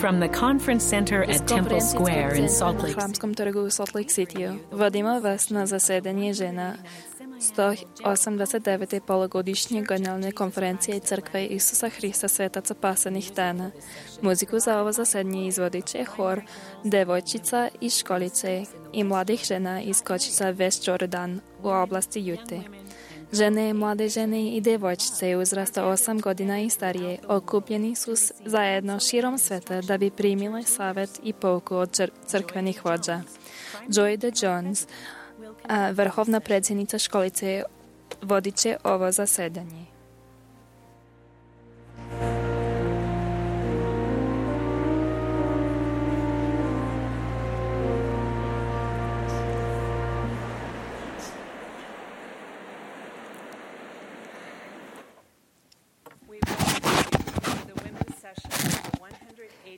From the Conference Center at Temple Square in Salt Lake Храмском тргу у Salt Lake City водимо вас на заседание жена 189. полугодишнje generalne konferencije Crkve Isusa Hrista Svetaca Pasanih dana. Muziku za ovo zasedanje izvodit će hor devojčica iz školice i mladih žena iz kočica West Jordan u oblasti Jute. Žene, mlade žene i devojčice uzrasta 8 godina i starije okupljeni su zajedno širom sveta da bi primile savjet i pouku od crkvenih vođa. Joy D. Jones, vrhovna predsjednica školice, vodit će ovo zasedanje.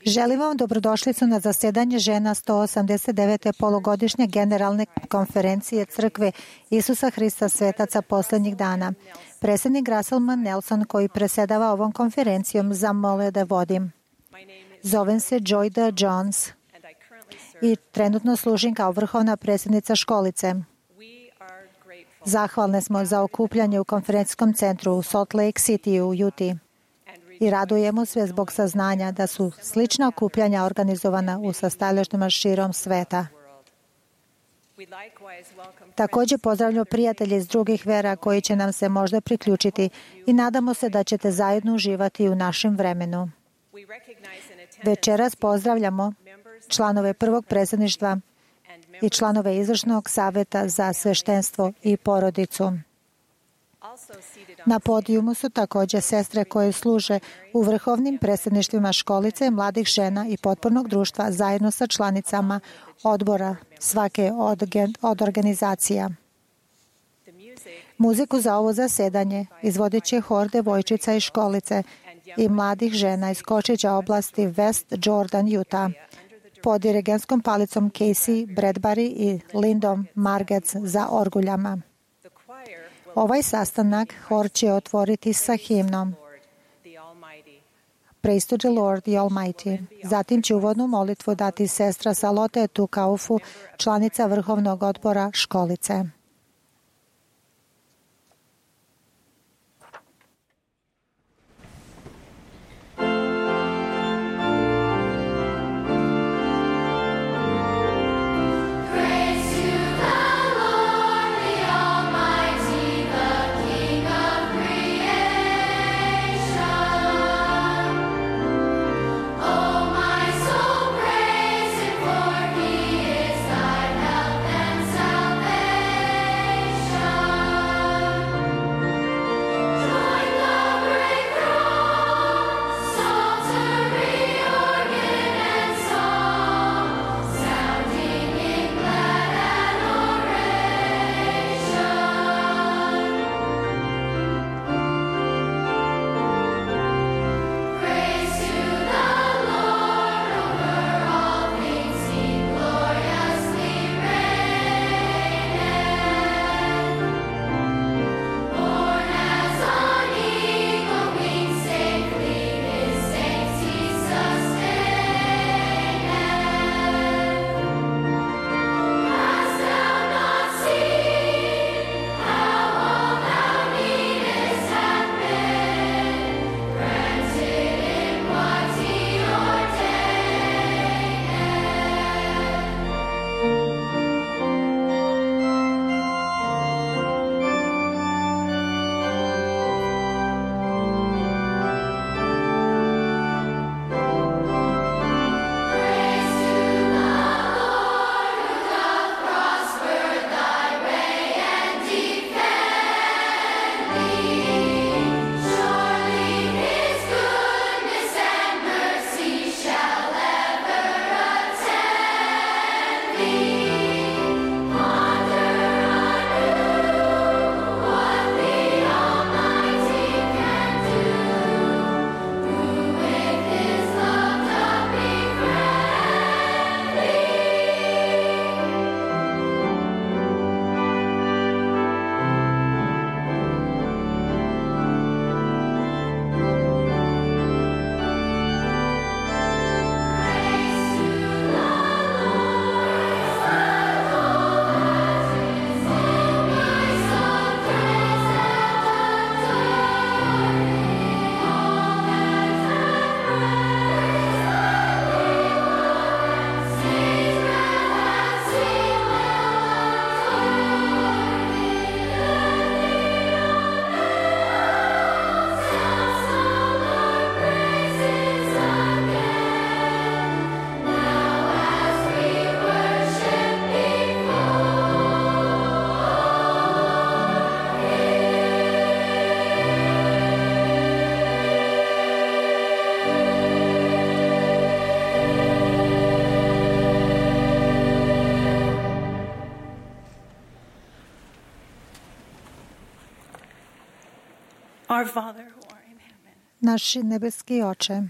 Želim vam dobrodošlicu na zasedanje žena 189. polugodišnje generalne konferencije Crkve Isusa Hrista Svetaca posljednjih dana. Predsjednik Russell M. Nelson, koji predsjedava ovom konferencijom, zamolio da vodim. Zovem se Joy D. Jones i trenutno služim kao vrhovna predsjednica školice. Zahvalne smo za okupljanje u konferencijskom centru u Salt Lake City u Utah. I radujemo se zbog saznanja da su slična okupljanja organizovana u sastajalištima širom sveta. Također pozdravljamo prijatelje iz drugih vera koji će nam se možda priključiti i nadamo se da ćete zajedno uživati u našem vremenu. Večeras pozdravljamo članove prvog predsjedništva i članove izvršnog savjeta za sveštenstvo i porodicu. Na podijumu su također sestre koje služe u vrhovnim predsjedništvima školice, mladih žena i potpornog društva zajedno sa članicama odbora svake od organizacija. Muziku za ovo zasedanje izvodit će hor devojčica iz školice i mladih žena iz kočića oblasti West Jordan, Utah, pod dirigentskom palicom Casey Bradbury i Lindom Margetts za orguljama. Ovaj sastanak hor će otvoriti sa himnom Praise to the Lord, the Almighty. Zatim će uvodnu molitvu dati sestra Salote Tukaufu, članica vrhovnog odbora školice. Salvation. Our Father who art in heaven. Naš nebeski Oče,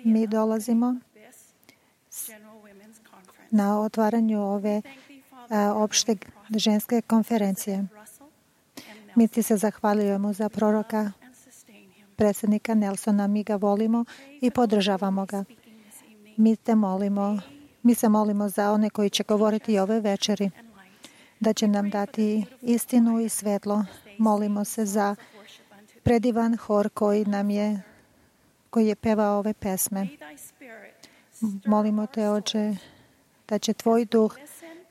mi dolazimo na otvaranju ove opšte ženske konferencije. Mi ti se zahvaljujemo za proroka, predsjednika Nelsona. Mi ga volimo i podržavamo ga. Mi se molimo za one koji će govoriti ove večeri, da će nam dati istinu i svetlo. Molimo se za predivan hor koji je pevao ove pesme. Molimo te, Oče, da će tvoj duh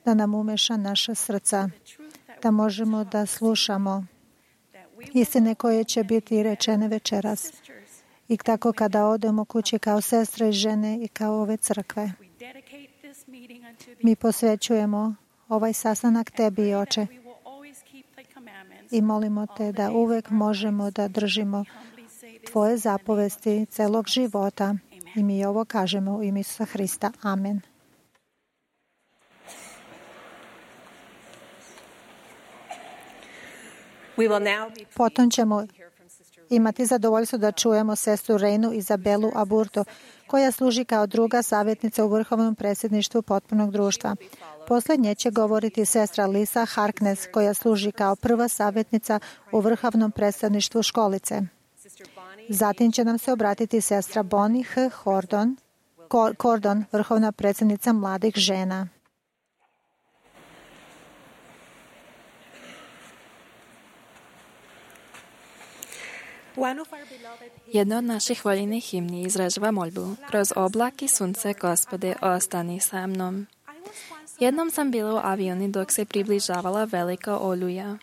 da nam umeša naša srca, da možemo da slušamo istine koje će biti rečene večeras. I tako kada odemo kući kao sestre i žene i kao ove crkve. Mi posvećujemo ovaj sastanak tebi, Oče. I molimo te da uvek možemo da držimo tvoje zapovesti celog života. I mi ovo kažemo u ime Isusa Hrista. Amen. Potom ćemo imati zadovoljstvo da čujemo sestru Reinu Izabelu Aburto, koja služi kao druga savjetnica u Vrhovnom predsjedništvu potpunog društva. Posljednje će govoriti sestra Lisa Harkness, koja služi kao prva savjetnica u Vrhovnom predstavništvu školice. Zatim će nam se obratiti sestra Bonnie H. Cordon, vrhovna predsjednica mladih žena. Jedna od naših voljenih himni izražava moljbu: kroz oblak i sunce, Gospode, ostani sa mnom. Jednom sam bila u avioni dok se približavala velika oluja.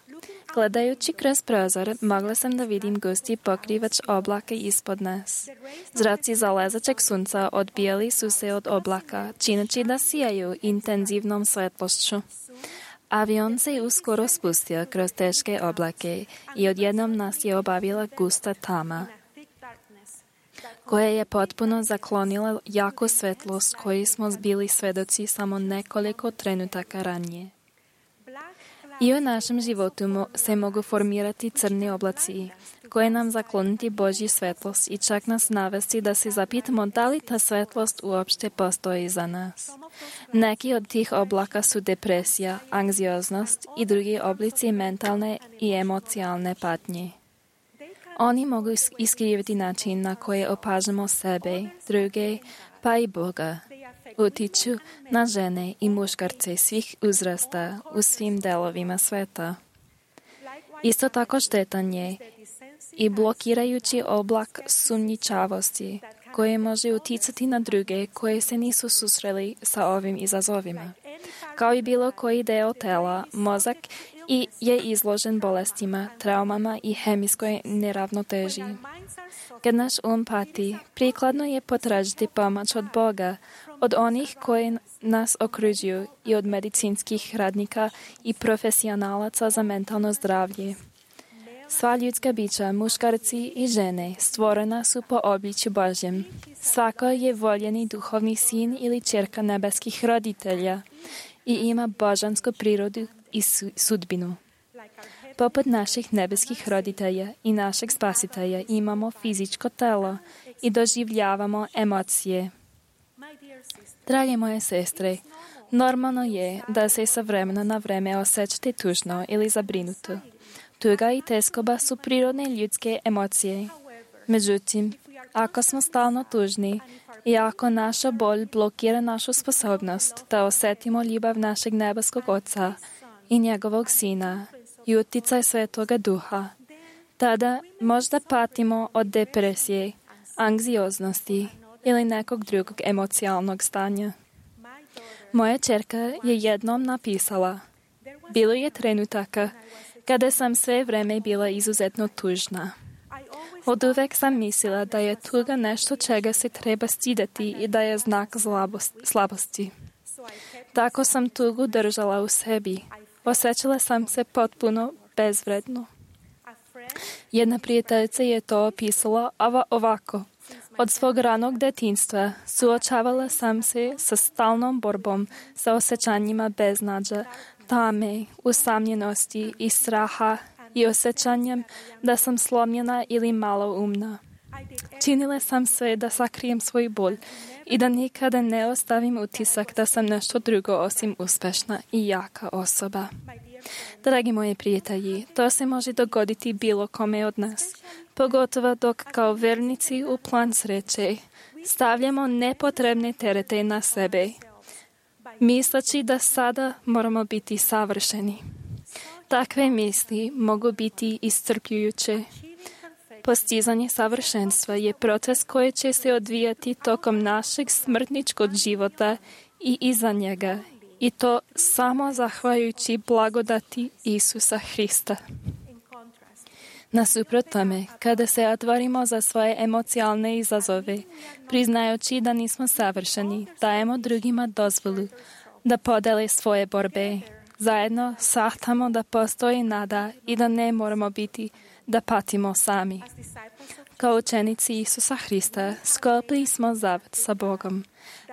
Gledajući kroz prozor, mogla sam da vidim gusti pokrivač oblaka ispod nas. Zraci zalezačeg sunca odbijali su se od oblaka, čineći da sijaju intenzivnom svetlošću. Avion se uskoro spustio kroz teške oblake i odjednom nas je obavila gusta tama, koja je potpuno zaklonila jaku svetlost koju smo bili svedoci samo nekoliko trenutaka ranije. I u našem životu se mogu formirati crni oblaci, koje nam zakloniti Božju svetlost i čak nas navesti da se zapitamo da li ta svetlost uopšte postoji za nas. Neki od tih oblaka su depresija, anksioznost i drugi oblici mentalne i emocionalne patnje. Oni mogu iskriviti način na koji opažamo sebe, druge, pa i Boga. Utiču na žene i muškarce svih uzrasta u svim delovima sveta. Isto tako štetan je i blokirajući oblak sumnjičavosti, koje može uticati na druge koje se nisu susreli sa ovim izazovima. Kao i bilo koji deo tela, mozak je izložen bolestima, traumama i hemijskoj neravnoteži. Kad naš pati, prikladno je potražiti pomoć od Boga, od onih koji nas okružuju i od medicinskih radnika i profesionalaca za mentalno zdravlje. Sva ljudska bića, muškarci i žene, stvorena su po obličju Božjem. Svako je voljeni duhovni sin ili ćerka nebeskih roditelja i ima božansku prirodu i sudbinu. Poput naših nebeskih roditelja i našeg spasitelja imamo fizičko telo i doživljavamo emocije. Drage moje sestre, normalno je da se sa vremena na vreme osjećate tužno ili zabrinuto. Tuga i teskoba su prirodne ljudske emocije. Međutim, ako smo stalno tužni i ako naša bolj blokira našu sposobnost da osjetimo ljubav našeg nebeskog Oca i njegovog Sina i uticaj Svetoga Duha, tada možda patimo od depresije, anksioznosti ili nekog drugog emocionalnog stanja. Moja ćerka je jednom napisala: bilo je trenutaka kada sam sve vreme bila izuzetno tužna. Oduvek sam mislila da je tuga nešto čega se treba stidati i da je znak slabosti. Tako sam tugu držala u sebi. Osjećala sam se potpuno bezvredno. Jedna prijateljica je to opisala ovako: od svog ranog detinjstva suočavala sam se sa stalnom borbom sa osjećanjima beznađa, tame, usamljenosti i straha i osjećanjem da sam slomljena ili malo umna. Činila sam sve da sakrijem svoj bol i da nikada ne ostavim utisak da sam nešto drugo osim uspešna i jaka osoba. Dragi moji prijatelji, to se može dogoditi bilo kome od nas, pogotovo dok kao vernici u plan sreće stavljamo nepotrebne terete na sebe, misleći da sada moramo biti savršeni. Takve misli mogu biti iscrpljujuće. Postizanje savršenstva je proces koji će se odvijati tokom našeg smrtničkog života i iza njega, i to samo zahvaljujući blagodati Isusa Hrista. Nasuprot tome, kada se otvorimo za svoje emocionalne izazove, priznajući da nismo savršeni, dajemo drugima dozvolu da podele svoje borbe. Zajedno sahtamo da postoji nada i da ne moramo biti da patimo sami. Kao učenici Isusa Hrista sklopili smo zavet sa Bogom,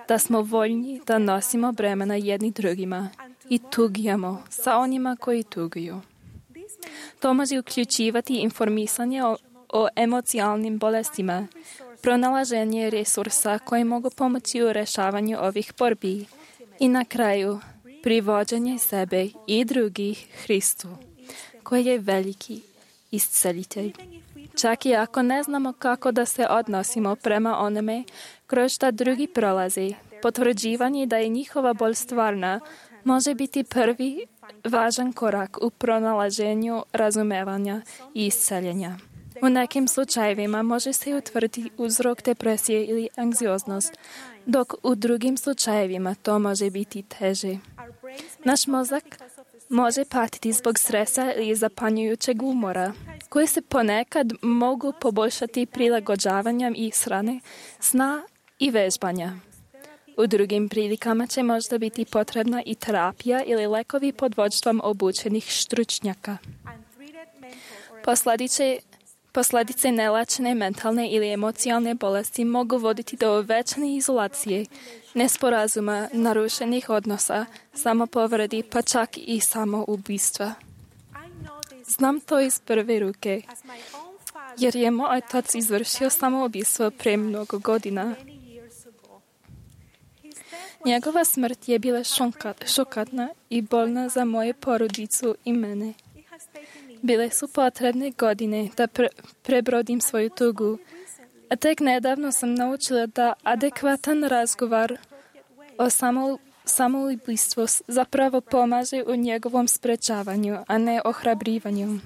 da smo voljni da nosimo bremena jedni drugima i tugujemo sa onima koji tuguju. To može uključivati informisanje o emocionalnim bolestima, pronalaženje resursa koji mogu pomoći u rešavanju ovih borbi i na kraju privođenje sebe i drugih Hristu, koji je veliki iscelitelj. Čak i ako ne znamo kako da se odnosimo prema onome kroz šta drugi prolazi, potvrđivanje da je njihova bol stvarna može biti prvi važan korak u pronalaženju razumevanja i isceljenja. U nekim slučajevima može se utvrditi uzrok depresije ili anksioznost, dok u drugim slučajevima to može biti teže. Naš mozak može patiti zbog stresa ili zapanjujućeg umora, koji se ponekad mogu poboljšati prilagođavanjem ishrane, sna i vežbanja. U drugim prilikama će možda biti potrebna i terapija ili lekovi pod vođstvom obučenih stručnjaka. Posljedice nelečene mentalne ili emocionalne bolesti mogu voditi do uvećane izolacije, nesporazuma, narušenih odnosa, samopovredi, pa čak i samoubistva. Znam to iz prve ruke, jer je moj otac izvršio samoubistvo pre mnogo godina. Njegova smrt je bila šokantna i bolna za moju porodicu i mene. Bile su potrebne godine da prebrodim svoju tugu, a tek nedavno sam naučila da adekvatan razgovor o samoubistvu zapravo pomaže u njegovom sprečavanju, a ne ohrabrivanju.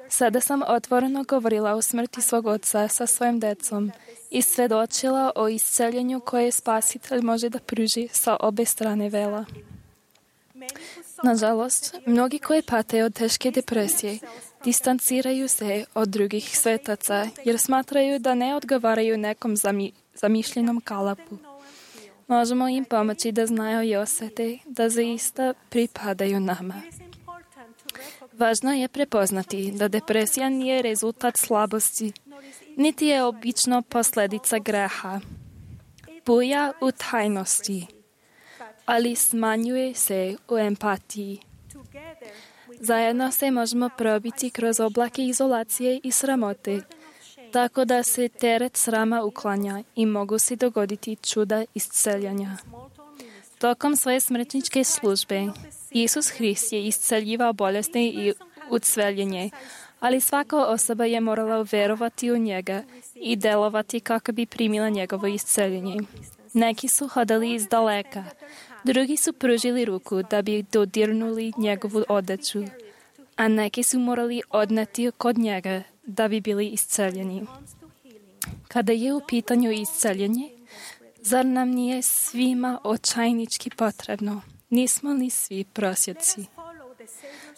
Sada sam otvoreno govorila o smrti svog oca sa svojim decom i svedočila o isceljenju koje Spasitelj može da pruži sa obe strane vela. Nažalost, mnogi koji pate od teške depresije distanciraju se od drugih svetaca jer smatraju da ne odgovaraju nekom zamišljenom kalapu. Možemo im pomoći da znaju i osete da zaista pripadaju nama. Važno je prepoznati da depresija nije rezultat slabosti, niti je obično posljedica greha. Buja u tajnosti, ali smanjuje se u empatiji. Zajedno se možemo probiti kroz oblake izolacije i sramote, tako da se teret srama uklanja i mogu se dogoditi čuda isceljanja. Tokom svoje smrtničke službe, Isus Hrist je isceljivao bolesti i ucveljenje, ali svaka osoba je morala verovati u njega i delovati kako bi primila njegovo isceljenje. Neki su hodali iz daleka, drugi su pružili ruku da bi dodirnuli njegovu odeću, a neki su morali odneti kod njega da bi bili isceljeni. Kada je u pitanju isceljenje, zar nam nije svima očajnički potrebno? Nismo li svi prosjaci?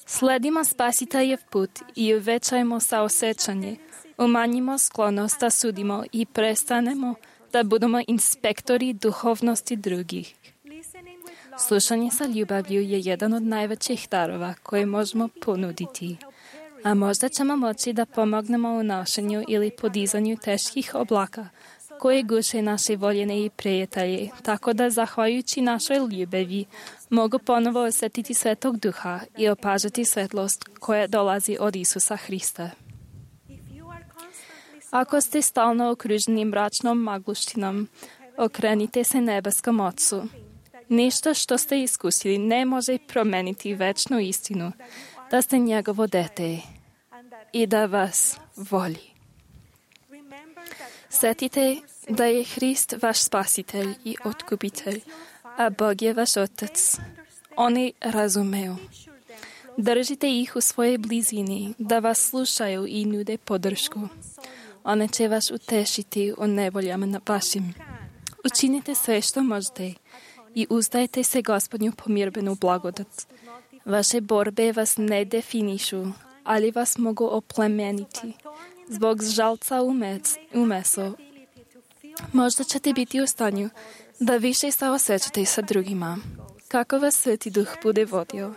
Sledimo Spasiteljev put i uvećajmo saosećanje, umanjimo sklonost da sudimo i prestanemo da budemo inspektori duhovnosti drugih. Slušanje sa ljubavlju je jedan od najvećih darova koje možemo ponuditi, a možda ćemo moći da pomognemo u nošenju ili podizanju teških oblaka, koje guše naše voljene i prijatelje, tako da zahvaljujući našoj ljubavi mogu ponovo osjetiti Svetog Duha i opažati svetlost koja dolazi od Isusa Hrista. Ako ste stalno okruženi mračnom magluštinom, okrenite se nebeskom Ocu. Ništa što ste iskusili ne može promeniti večnu istinu, da ste njegovo dete i da vas voli. Sjetite da je Hrist vaš spasitelj i otkupitelj, a Bog je vaš Otac. Oni razumeju. Držite ih u svojej blizini, da vas slušaju i nude podršku. One će vas utešiti u nevoljama vašim. Učinite sve što možete i uzdajte se Gospodnju pomirbenu blagodat. Vaše borbe vas ne definišu, ali vas mogu oplemeniti. Zbog žalca u meso, možda ćete biti u stanju da više saosjećate sa drugima. Kako vas Sveti Duh bude vodio,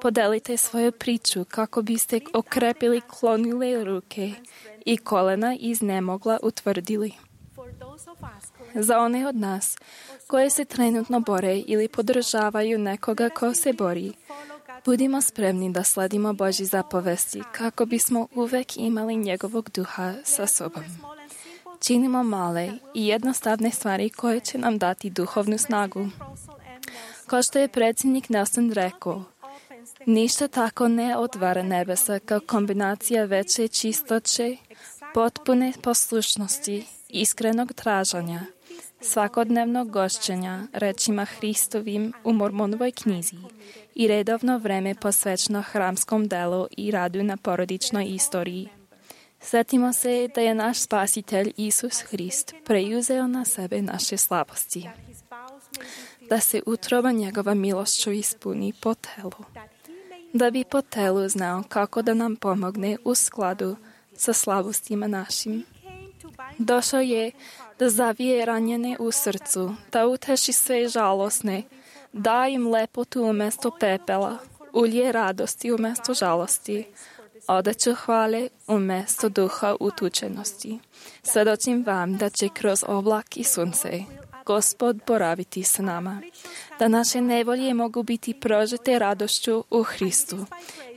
podelite svoju priču kako biste okrepili klonile ruke i kolena iznemogla utvrdili. Za one od nas koje se trenutno bore ili podržavaju nekoga ko se bori, budimo spremni da sledimo Božji zapovesti kako bismo uvek imali njegovog duha sa sobom. Činimo male i jednostavne stvari koje će nam dati duhovnu snagu. Kao što je predsjednik Nelson rekao, ništa tako ne otvara nebesa kao kombinacija veće čistoće, potpune poslušnosti, iskrenog traženja, svakodnevnog gošćenja rečima Hristovim u Mormonovoj knjizi i redovno vreme posvećeno hramskom delu i radu na porodičnoj istoriji. Sjetimo se da je naš spasitelj Isus Hrist preuzeo na sebe naše slabosti, da se utroba njegova milošću ispuni po telu, da bi po telu znao kako da nam pomogne u skladu sa slabostima našim. Došao je da zavije ranjene u srcu, da uteši sve žalosne, da im lepotu umjesto pepela, ulje radosti umjesto žalosti, odeću hvale umjesto duha utučenosti. Svedočim vam da će kroz oblak i sunce Gospod boraviti s nama, da naše nevolje mogu biti prožete radošću u Hristu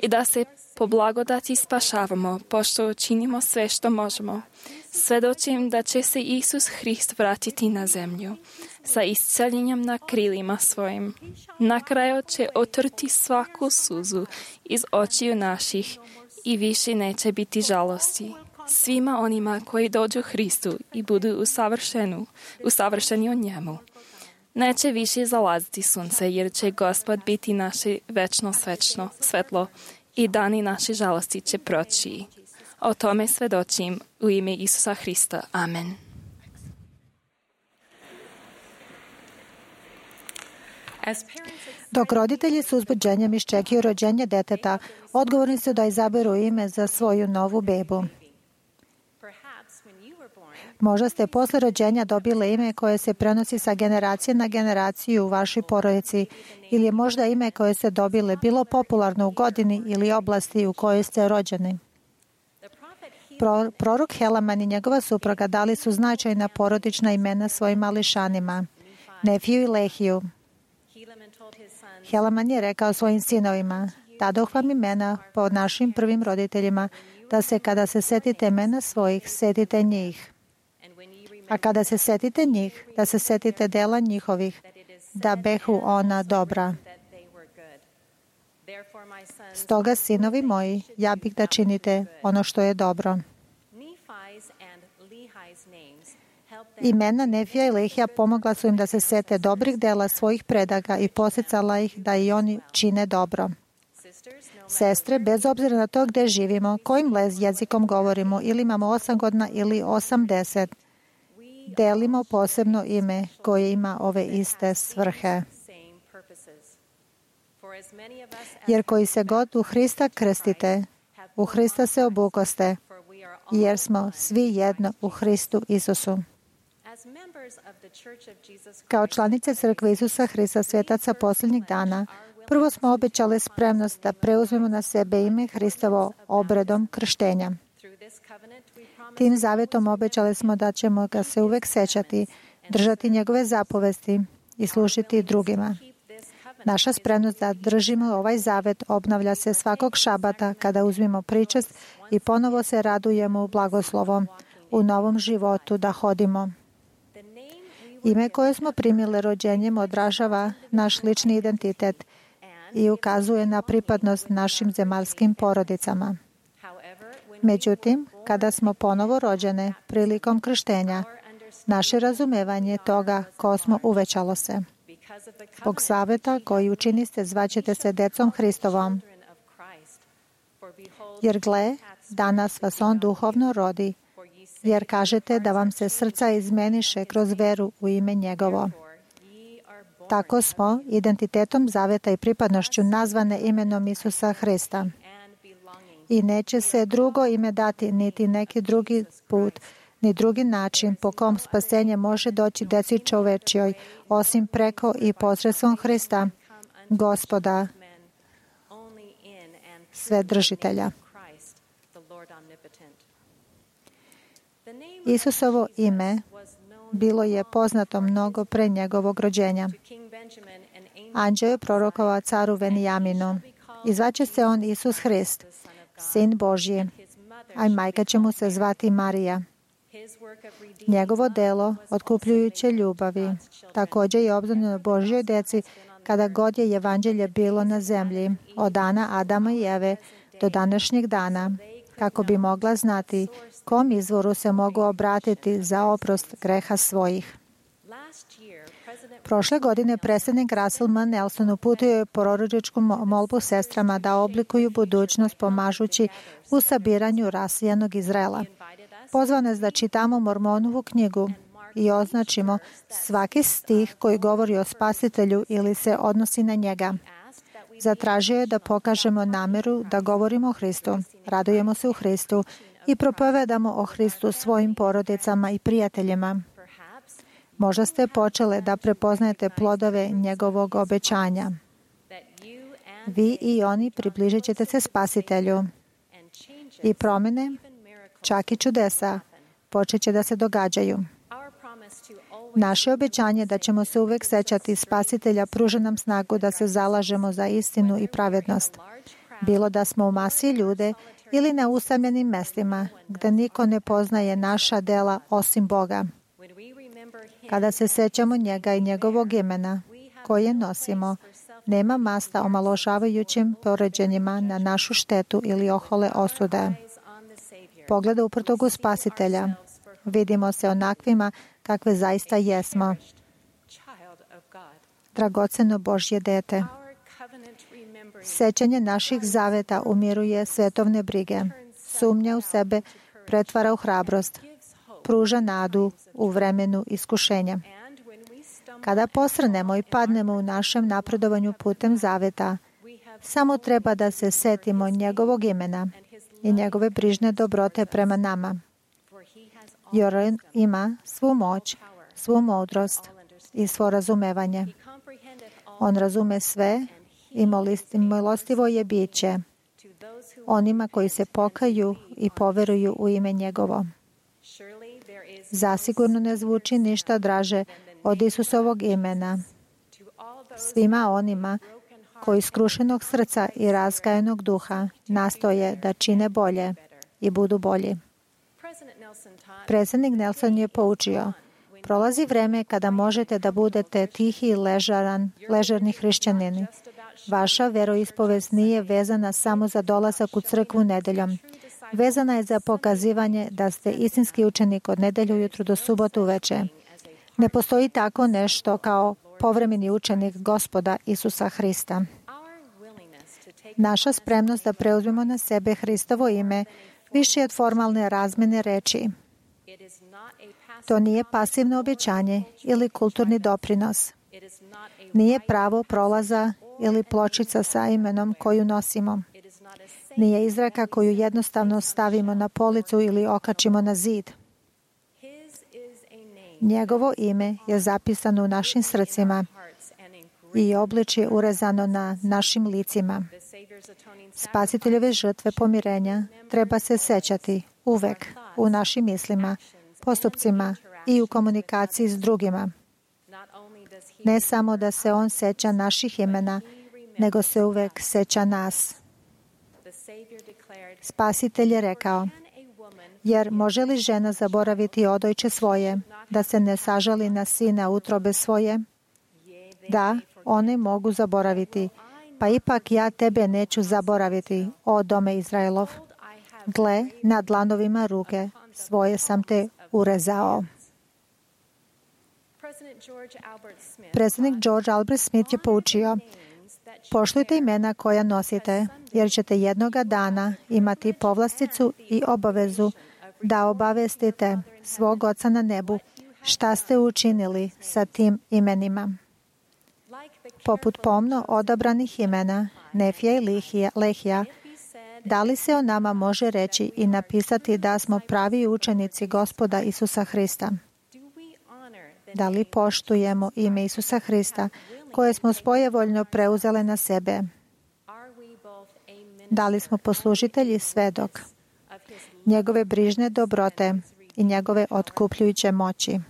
i da se po blagodati spašavamo, pošto učinimo sve što možemo. Svedočim da će se Isus Hrist vratiti na zemlju sa isceljenjem na krilima svojim. Na kraju će otrti svaku suzu iz očiju naših i više neće biti žalosti. Svima onima koji dođu Hristu i budu usavršeni u njemu. Neće više zalaziti sunce, jer će Gospod biti naše večno svetlo i dani naše žalosti će proći. O tome svedočim u ime Isusa Hrista. Amen. Dok roditelji s uzbuđenjem iščekuju rođenje deteta, odgovorni su da izaberu ime za svoju novu bebu. Možda ste posle rođenja dobili ime koje se prenosi sa generacije na generaciju u vašoj porodici ili je možda ime koje ste dobili bilo popularno u godini ili oblasti u kojoj ste rođeni. Prorok Helaman i njegova supruga dali su značajna porodična imena svojim mališanima, Nefiju i Lehiju. Helaman je rekao svojim sinovima, dadoh vam imena po našim prvim roditeljima, da se kada se setite imena svojih, setite njih. A kada se setite njih, da se setite dela njihovih, da behu ona dobra. Stoga, sinovi moji, ja bih da činite ono što je dobro. Imena Nefija i Lehija pomogla su im da se sete dobrih dela svojih predaka i posjecala ih da i oni čine dobro. Sestre, bez obzira na to gdje živimo, kojim jezikom govorimo, ili imamo 8 godina ili 80, delimo posebno ime koje ima ove iste svrhe. Jer koji se god u Hrista krstite, u Hrista se obukoste, jer smo svi jedno u Hristu Isusu. Kao članice Crkve Isusa Hrista, svetaca posljednjih dana, prvo smo obećali spremnost da preuzmemo na sebe ime Hristovo obredom krštenja. Tim zavetom obećali smo da ćemo ga se uvek sećati, držati njegove zapovesti i služiti drugima. Naša spremnost da držimo ovaj zavet obnavlja se svakog šabata kada uzmimo pričest i ponovo se radujemo u blagoslovom, u novom životu da hodimo. Ime koje smo primili rođenjem odražava naš lični identitet i ukazuje na pripadnost našim zemaljskim porodicama. Međutim, kada smo ponovo rođene prilikom krštenja, naše razumevanje toga ko smo uvećalo se. Zbog zaveta koji učiniste zvaćete se decom Hristovom. Jer gle, danas vas on duhovno rodi, jer kažete da vam se srca izmeniše kroz veru u ime njegovo. Tako smo identitetom zaveta i pripadnošću nazvane imenom Isusa Hrista. I neće se drugo ime dati, niti neki drugi put, ni drugi način po kom spasenje može doći deci čovečjoj, osim preko i posredstvom Hrista, Gospoda, Svedržitelja. Isusovo ime bilo je poznato mnogo pre njegovog rođenja. Anđeo je prorokovao caru Venijaminu. I zvaće se on Isus Hrist, Sin Božji, a majka će mu se zvati Marija. Njegovo delo, otkupljujuće ljubavi, također je obznanjeno Božjoj deci kada god je evanđelje bilo na zemlji, od dana Adama i Eve do današnjeg dana, kako bi mogla znati kom izvoru se mogu obratiti za oprost greha svojih. Prošle godine predsjednik Russell M. Nelson uputio je proročku molbu sestrama da oblikuju budućnost pomažući u sabiranju rasijanog Izraela. Pozvao nas da čitamo Mormonovu knjigu i označimo svaki stih koji govori o Spasitelju ili se odnosi na njega. Zatražio je da pokažemo nameru da govorimo o Hristu, radujemo se u Hristu i propovedamo o Hristu svojim porodicama i prijateljima. Možda ste počele da prepoznajete plodove njegovog obećanja. Vi i oni približit ćete se Spasitelju i promjene, čak i čudesa, počet će da se događaju. Naše obećanje da ćemo se uvek sećati Spasitelja pruža nam snagu da se zalažemo za istinu i pravednost. Bilo da smo u masi ljude ili na usamljenim mestima, gde niko ne poznaje naša dela osim Boga. Kada se sećamo njega i njegovog imena, koje nosimo, nema masta omalovažavajućim poređenjima na našu štetu ili ohole osude. Pogleda uprtog u Spasitelja. Vidimo se onakvima kakve zaista jesmo. Dragoceno Božje dete. Sećanje naših zaveta umiruje svetovne brige. Sumnja u sebe pretvara u hrabrost. Pruža nadu u vremenu iskušenja. Kada posrnemo i padnemo u našem napredovanju putem zaveta, samo treba da se setimo njegovog imena i njegove brižne dobrote prema nama. Jer on ima svu moć, svu mudrost i svo razumevanje. On razume sve i milostivo je biće onima koji se pokaju i poveruju u ime njegovo. Zasigurno ne zvuči ništa draže od Isusovog imena. Svima onima koji skrušenog srca i razgajenog duha nastoje da čine bolje i budu bolji. Predsjednik Nelson je poučio, prolazi vreme kada možete da budete tihi i ležerni hrišćanini. Vaša veroispovest nije vezana samo za dolazak u crkvu nedeljom. Vezana je za pokazivanje da ste istinski učenik od nedelju ujutru do subotu uveče. Ne postoji tako nešto kao povremeni učenik Gospoda Isusa Hrista. Naša spremnost da preuzmemo na sebe Hristovo ime više je od formalne razmene reči. To nije pasivno obećanje ili kulturni doprinos. Nije pravo prolaza ili pločica sa imenom koju nosimo. Nije izreka koju jednostavno stavimo na policu ili okačimo na zid. Njegovo ime je zapisano u našim srcima i obličje urezano na našim licima. Spasiteljove žrtve pomirenja treba se sećati uvek u našim mislima, postupcima i u komunikaciji s drugima. Ne samo da se on seća naših imena, nego se uvek seća nas. Spasitelj je rekao, jer može li žena zaboraviti odojče svoje, da se ne sažali na sina utrobe svoje? Da, one mogu zaboraviti, pa ipak ja tebe neću zaboraviti, o dome Izraelov. Gle, na dlanovima ruke svoje sam te urezao. Predsjednik George Albert Smith je poučio, poštujte imena koja nosite, jer ćete jednoga dana imati povlasticu i obavezu da obavestite svog Oca na nebu šta ste učinili sa tim imenima. Poput pomno odabranih imena, Nefija i Lehija, da li se o nama može reći i napisati da smo pravi učenici Gospoda Isusa Hrista? Da li poštujemo ime Isusa Hrista, koje smo svojevoljno preuzele na sebe? Da li smo poslužitelji i svedok njegove brižne dobrote i njegove otkupljujuće moći?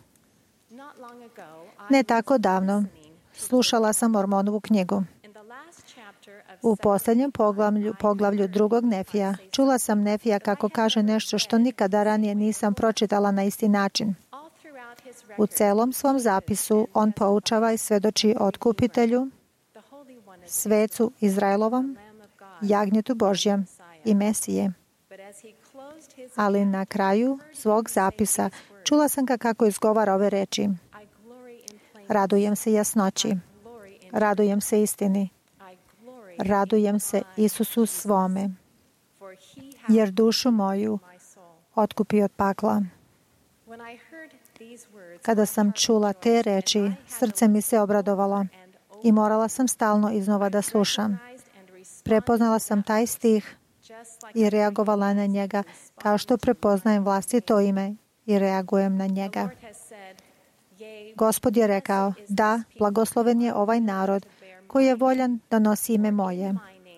Ne tako davno slušala sam Mormonovu knjigu. U posljednjem poglavlju drugog Nefija čula sam Nefija kako kaže nešto što nikada ranije nisam pročitala na isti način. U celom svom zapisu on poučava i svedoči o otkupitelju, svecu Izraelovom, jagnjetu Božjem i Mesije. Ali na kraju svog zapisa čula sam ga kako izgovara ove reči. Radujem se jasnoći, radujem se istini, radujem se Isusu svome, jer dušu moju otkupi od pakla. Kada sam čula te reči, srce mi se obradovalo i morala sam stalno iznova da slušam. Prepoznala sam taj stih i reagovala na njega kao što prepoznajem vlastito ime i reagujem na njega. Gospod je rekao, da, blagosloven je ovaj narod koji je voljan da nosi ime moje,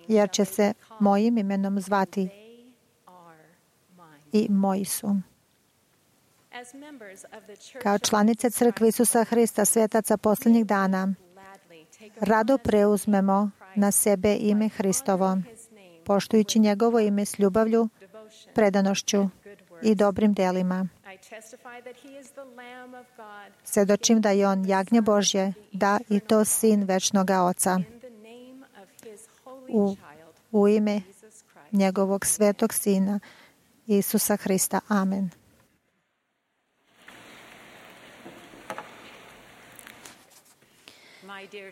jer će se mojim imenom zvati i moji su. Kao članice crkve Isusa Hrista, svetaca posljednjih dana, rado preuzmemo na sebe ime Hristovo, poštujući njegovo ime s ljubavlju, predanošću i dobrim delima. Svedočim da je on jagnje Božje, da i to sin večnoga Oca. U ime njegovog svetog sina Isusa Hrista. Amen.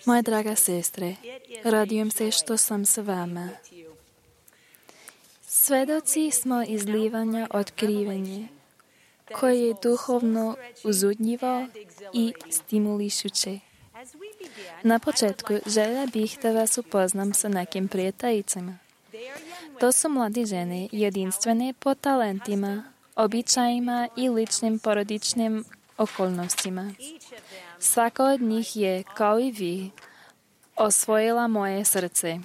Moja draga sestre, radujem se što sam s vama. Svedoci smo izlivanja otkrivanja, koje je duhovno uzudljivo i stimulišuće. Na početku željela bih da vas upoznam sa nekim prijateljicama. To su mlade žene, jedinstvene po talentima, običajima i ličnim porodičnim okolnostima. Svaka od njih je, kao i vi, osvojila moje srce.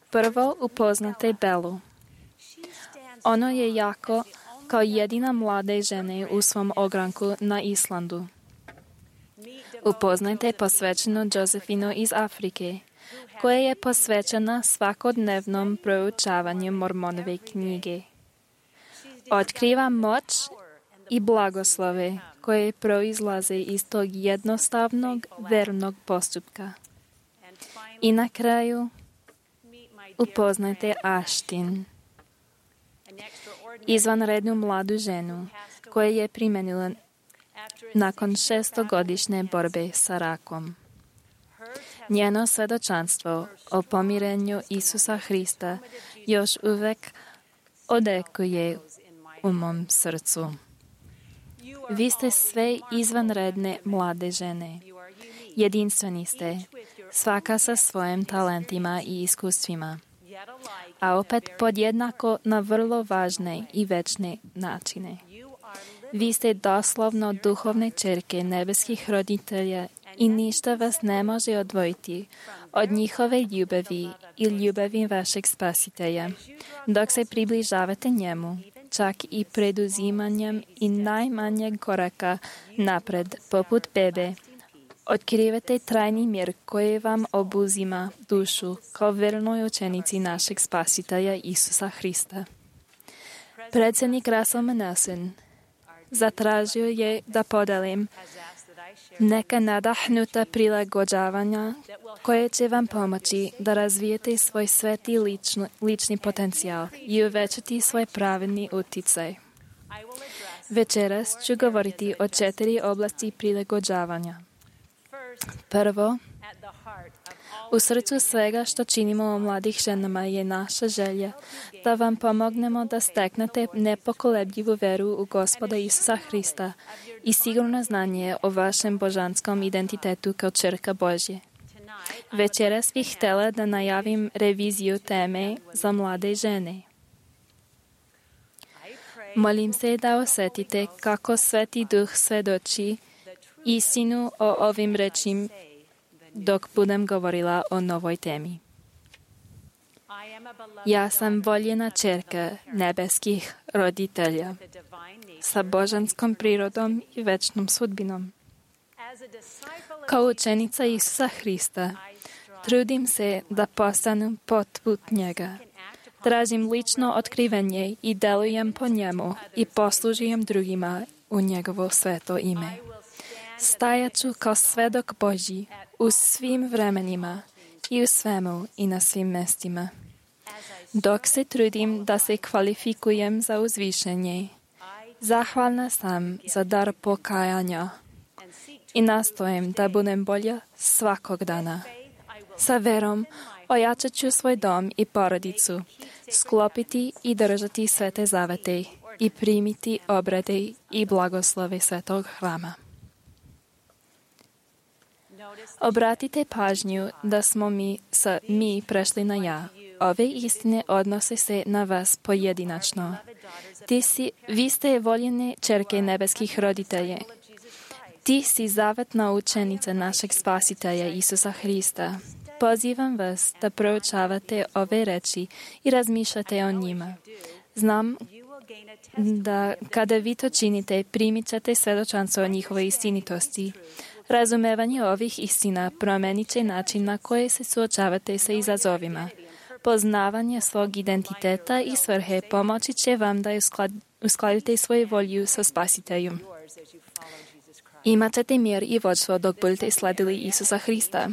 Prvo upoznate Belu. Ono je jako kao jedina mlade žene u svom ogranku na Islandu. Upoznajte posvećenu Josefinu iz Afrike, koja je posvećena svakodnevnom proučavanju Mormonove knjige. Otkriva moć i blagoslove koje proizlaze iz tog jednostavnog vernog postupka. I na kraju upoznajte Ashtin, izvanrednu mladu ženu koja je primenila nakon 600-godišnje borbe sa rakom. Njeno svedočanstvo o pomirenju Isusa Hrista još uvek odekuje u mom srcu. Vi ste sve izvanredne mlade žene. Jedinstveni ste, svaka sa svojim talentima i iskustvima, a opet podjednako na vrlo važne i večne načine. Vi ste doslovno duhovne ćerke nebeskih roditelja i ništa vas ne može odvojiti od njihove ljubavi i ljubavi vašeg spasitelja. Dok se približavate njemu, čak i preduzimanjem i najmanjeg koraka napred, poput bebe, otkrivate trajni mir koji vam obuzima dušu kao vernoj učenici našeg spasitelja Isusa Hrista. Predsjednik Russell M. Nelson zatražio je da podelim neka nadahnuta prilagođavanja koje će vam pomoći da razvijete svoj sveti lični potencijal i uvećati svoj pravedni uticaj. Večeras ću govoriti o 4 oblasti prilagođavanja. Prvo, u srcu svega što činimo o mladih ženama je naša želja da vam pomognemo da steknete nepokolebljivu veru u Gospoda Isusa Hrista i sigurno znanje o vašem božanskom identitetu kao ćerka Božje. Večeras bih htjela da najavim reviziju teme za mlade žene. Molim se da osjetite kako Sveti Duh svedoči istinu o ovim rečima dok budem govorila o novoj temi. Ja sam voljena ćerka nebeskih roditelja sa božanskom prirodom i večnom sudbinom. Kao učenica Isusa Hrista, trudim se da postanem poput njega. Tražim lično otkrivenje i delujem po njemu i poslužujem drugima u njegovo sveto ime. Stajaću kao svedok Božji u svim vremenima i u svemu i na svim mestima. Dok se trudim da se kvalifikujem za uzvišenje, zahvalna sam za dar pokajanja i nastojim da budem bolja svakog dana. Sa verom ojačat ću svoj dom i porodicu, sklopiti i držati svete zavete i primiti obrade i blagoslove svetog hrama. Obratite pažnju da smo mi prešli na ja. Ove istine odnose se na vas pojedinačno. Vi ste voljene ćerke nebeskih roditelja. Ti si zavetna učenica našeg spasitelja Isusa Hrista. Pozivam vas da proučavate ove reči i razmišljate o njima. Znam da kada vi to činite, primit ćete svedočanstvo o njihovoj istinitosti. Razumevanje ovih istina promenit će način na koji se suočavate sa izazovima. Poznavanje svog identiteta i svrhe pomoći će vam da uskladite svoju volju sa spasiteljem. Imat ćete mir i vođstvo dok budete sledili Isusa Hrista.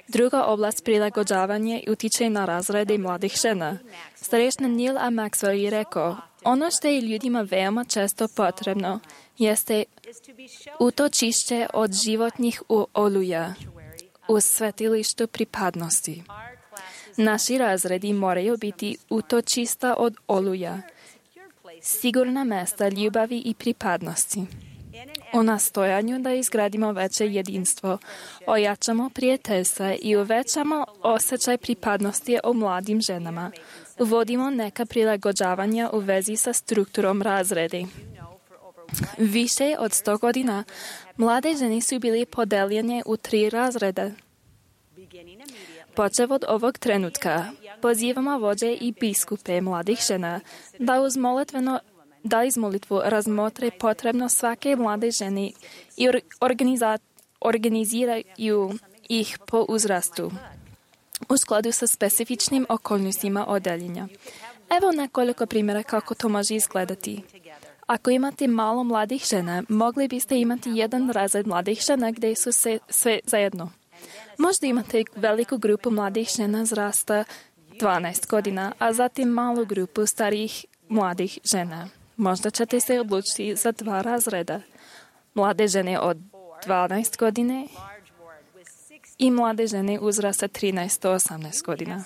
Druga oblast prilagođavanja utiče na razrede mladih žena. Starešni Neil A. Maxwell je rekao, ono što je ljudima veoma često potrebno jeste utočište od životnih oluja u svetilištu pripadnosti. Naši razredi moraju biti utočišta od oluja, sigurna mesta ljubavi i pripadnosti. U nastojanju da izgradimo veće jedinstvo, ojačamo prijateljstva i uvećamo osjećaj pripadnosti o mladim ženama. Uvodimo neka prilagođavanja u vezi sa strukturom razredi. Više od 100 godina mlade žene su bili podeljene u 3 razreda. Počev od ovog trenutka, pozivamo vođe i biskupe mladih žena da iz molitvu razmotre potrebno svake mlade žene i organiziraju ih po uzrastu u skladu sa specifičnim okolnostima odeljenja. Evo nekoliko primjera kako to može izgledati. Ako imate malo mladih žena, mogli biste imati jedan razred mladih žena gdje su sve zajedno. Možda imate veliku grupu mladih žena zrasta 12 godina, a zatim malu grupu starijih mladih žena. Možda ćete se odlučiti za 2 razreda. Mlade žene od 12 godine i mlade žene uzrasta 13 do 18 godina.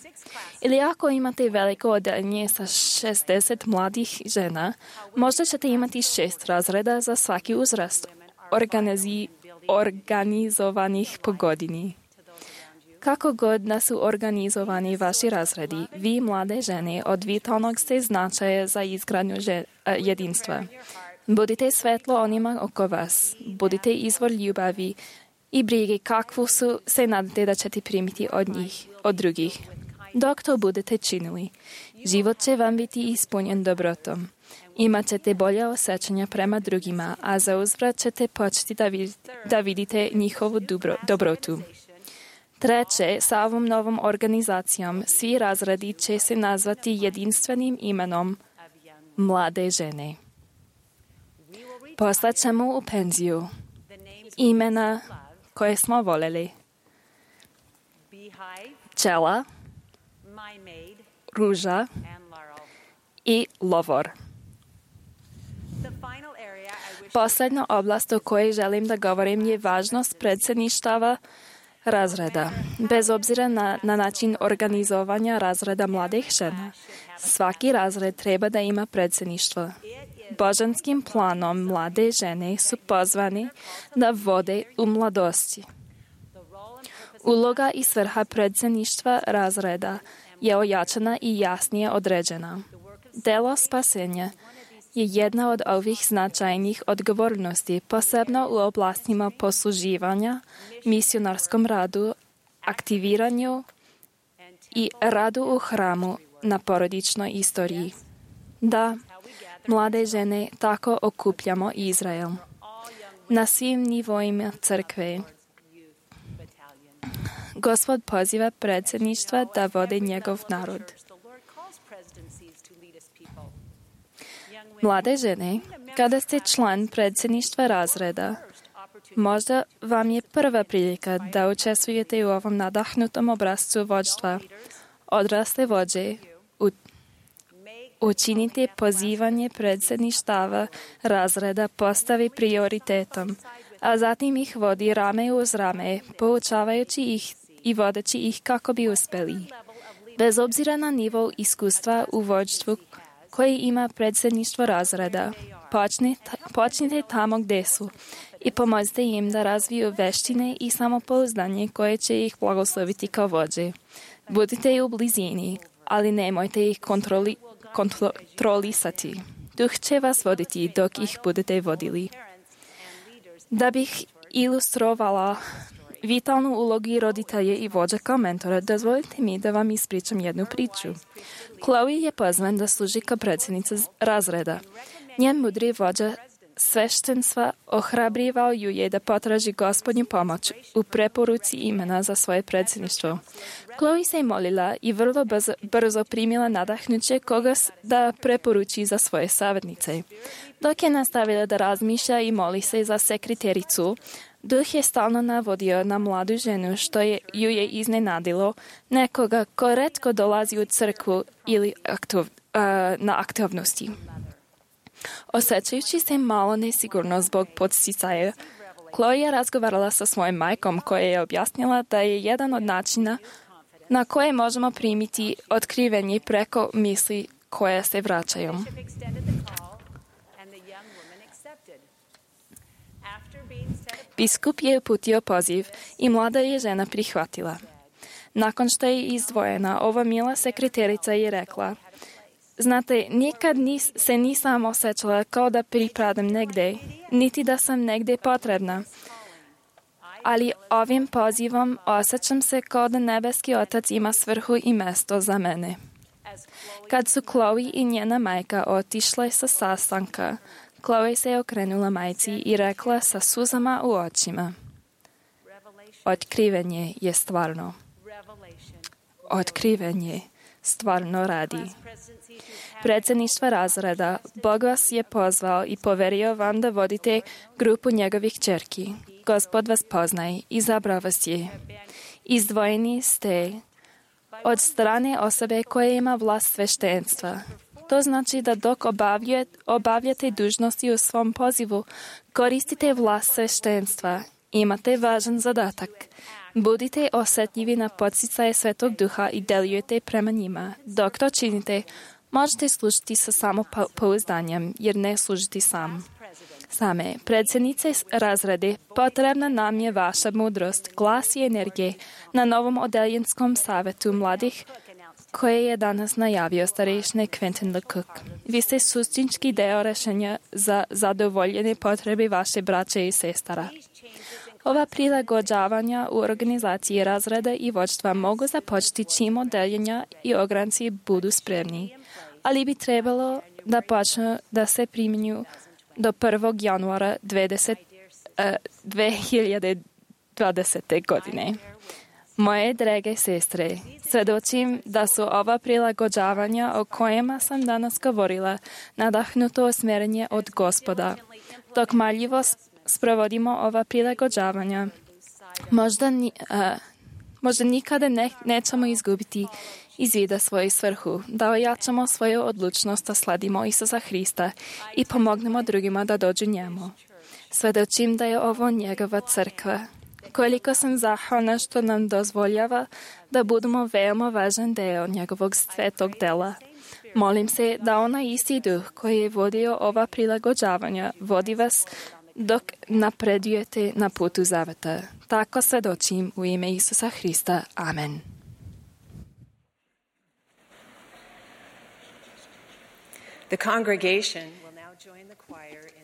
Ili ako imate veliko odeljenje sa 60 mladih žena, možda ćete imati 6 razreda za svaki uzrast, organizovanih po godini. Kako god da su organizovani vaši razredi, vi mlade žene od vitalnog ste značaja za izgradnju jedinstva. Budite svetlo onima oko vas, budite izvor ljubavi i brige kakvu su se nadate da ćete primiti od drugih. Dok to budete činili, život će vam biti ispunjen dobrotom. Imat ćete bolje osjećanja prema drugima, a za uzvrat ćete početi da vidite njihovu dobrotu. Treće, sa ovom novom organizacijom svi razredi će se nazvati jedinstvenim imenom mlade žene. Poslaćemo u penziju imena koje smo voljeli. Pčela, Ruža i Lovor. Posljedna oblast o kojoj želim da govorim je važnost predsjedništava razreda. Bez obzira na način organizovanja razreda mladih žena, svaki razred treba da ima predsjedništvo. Božanskim planom mlade žene su pozvani da vode u mladosti. Uloga i svrha predsjedništva razreda je ojačana i jasnije određena. Delo spasenja je jedna od ovih značajnih odgovornosti, posebno u oblastima posluživanja, misionarskom radu, aktiviranju i radu u hramu na porodičnoj istoriji. Da, mlade žene tako okupljamo Izrael. Na svim nivoima crkve Gospod poziva predsjedništva da vode njegov narod. Mlade žene, kada ste član predsjedništva razreda, možda vam je prva prilika da učestvujete u ovom nadahnutom obrascu vođstva. Odrasle vođe, učinite pozivanje predsjedništava razreda postavi prioritetom, a zatim ih vodi rame uz rame, poučavajući ih i vodeći ih kako bi uspeli. Bez obzira na nivo iskustva u vođstvu koji ima predsjedništvo razreda, počnite tamo gdje su i pomozite im da razviju veštine i samopouzdanje koje će ih blagosloviti kao vođe. Budite u blizini, ali nemojte ih kontrolisati. Duh će vas voditi dok ih budete vodili. Da bih ilustrovala vitalnu ulogu roditelja i vođa kao mentora, dozvolite mi da vam ispričam jednu priču. Chloe je pozvan da služi kao predsjednica razreda. Njen mudri vođa sveštenstva ohrabrivao ju je da potraži Gospodnju pomoć u preporuci imena za svoje predsjedništvo. Chloe se molila i vrlo brzo primila nadahnuće koga da preporuči za svoje savjetnice. Dok je nastavila da razmišlja i moli se za sekretericu, Duh je stalno navodio na mladu ženu što ju je iznenadilo, nekoga ko retko dolazi u crkvu ili na aktivnosti. Osjećajući se malo nesigurno zbog podsticaja, Chloe je razgovarala sa svojom majkom koja je objasnila da je jedan od načina na koje možemo primiti otkrivenje preko misli koje se vraćaju. Biskup je uputio poziv i mlada je žena prihvatila. Nakon što je izdvojena, ova mila sekreterica je rekla: znate, nikad se nisam osjećala kao da pripadam negde, niti da sam negde potrebna. Ali ovim pozivom osjećam se kao da nebeski otac ima svrhu i mesto za mene. Kad su Chloe i njena majka otišle sa sastanka, Chloe se okrenula majci i rekla sa suzama u očima: otkrivenje je stvarno. Otkrivenje stvarno radi. Predsjedništva razreda, Bog vas je pozvao i poverio vam da vodite grupu njegovih ćerki. Gospod vas poznaje, izabrao vas je. Izdvojeni ste od strane osobe koja ima vlast sveštenstva. To znači da dok obavljate dužnosti u svom pozivu, koristite vlast sveštenstva. Imate važan zadatak. Budite osjetljivi na podsticaje Svetog Duha i delujete prema njima. Dok to činite, možete služiti sa samopouzdanjem, jer ne služiti same. Predsjednice razrede, potrebna nam je vaša mudrost, glas i energije na novom odeljenskom savjetu mladih koje je danas najavio starešine Quentin LeCook. Vi ste suštinski deo rešenja za zadovoljene potrebe vaše braće i sestara. Ova prilagođavanja u organizaciji razreda i vođstva mogu započeti čim odeljenja i ogranci budu spremni, ali bi trebalo da počnu da se primjenjuju do 1. januara 2020. godine. Moje drage sestre, svedočim da su ova prilagođavanja o kojima sam danas govorila nadahnuto usmjerenje od Gospoda. Dok marljivo sprovodimo ova prilagođavanja, možda nikada nećemo izgubiti iz vida svoju svrhu, da ojačamo svoju odlučnost da sledimo Isusa Hrista i pomognemo drugima da dođu njemu. Svedočim da je ovo njegova crkva. Koliko sam zahvalna što nam dozvoljava da budemo veoma važan deo njegovog svetog dela. Molim se da onaj isti duh koji je vodio ova prilagođavanja vodi vas dok napredujete na putu zaveta. Tako svedočim u ime Isusa Hrista. Amen.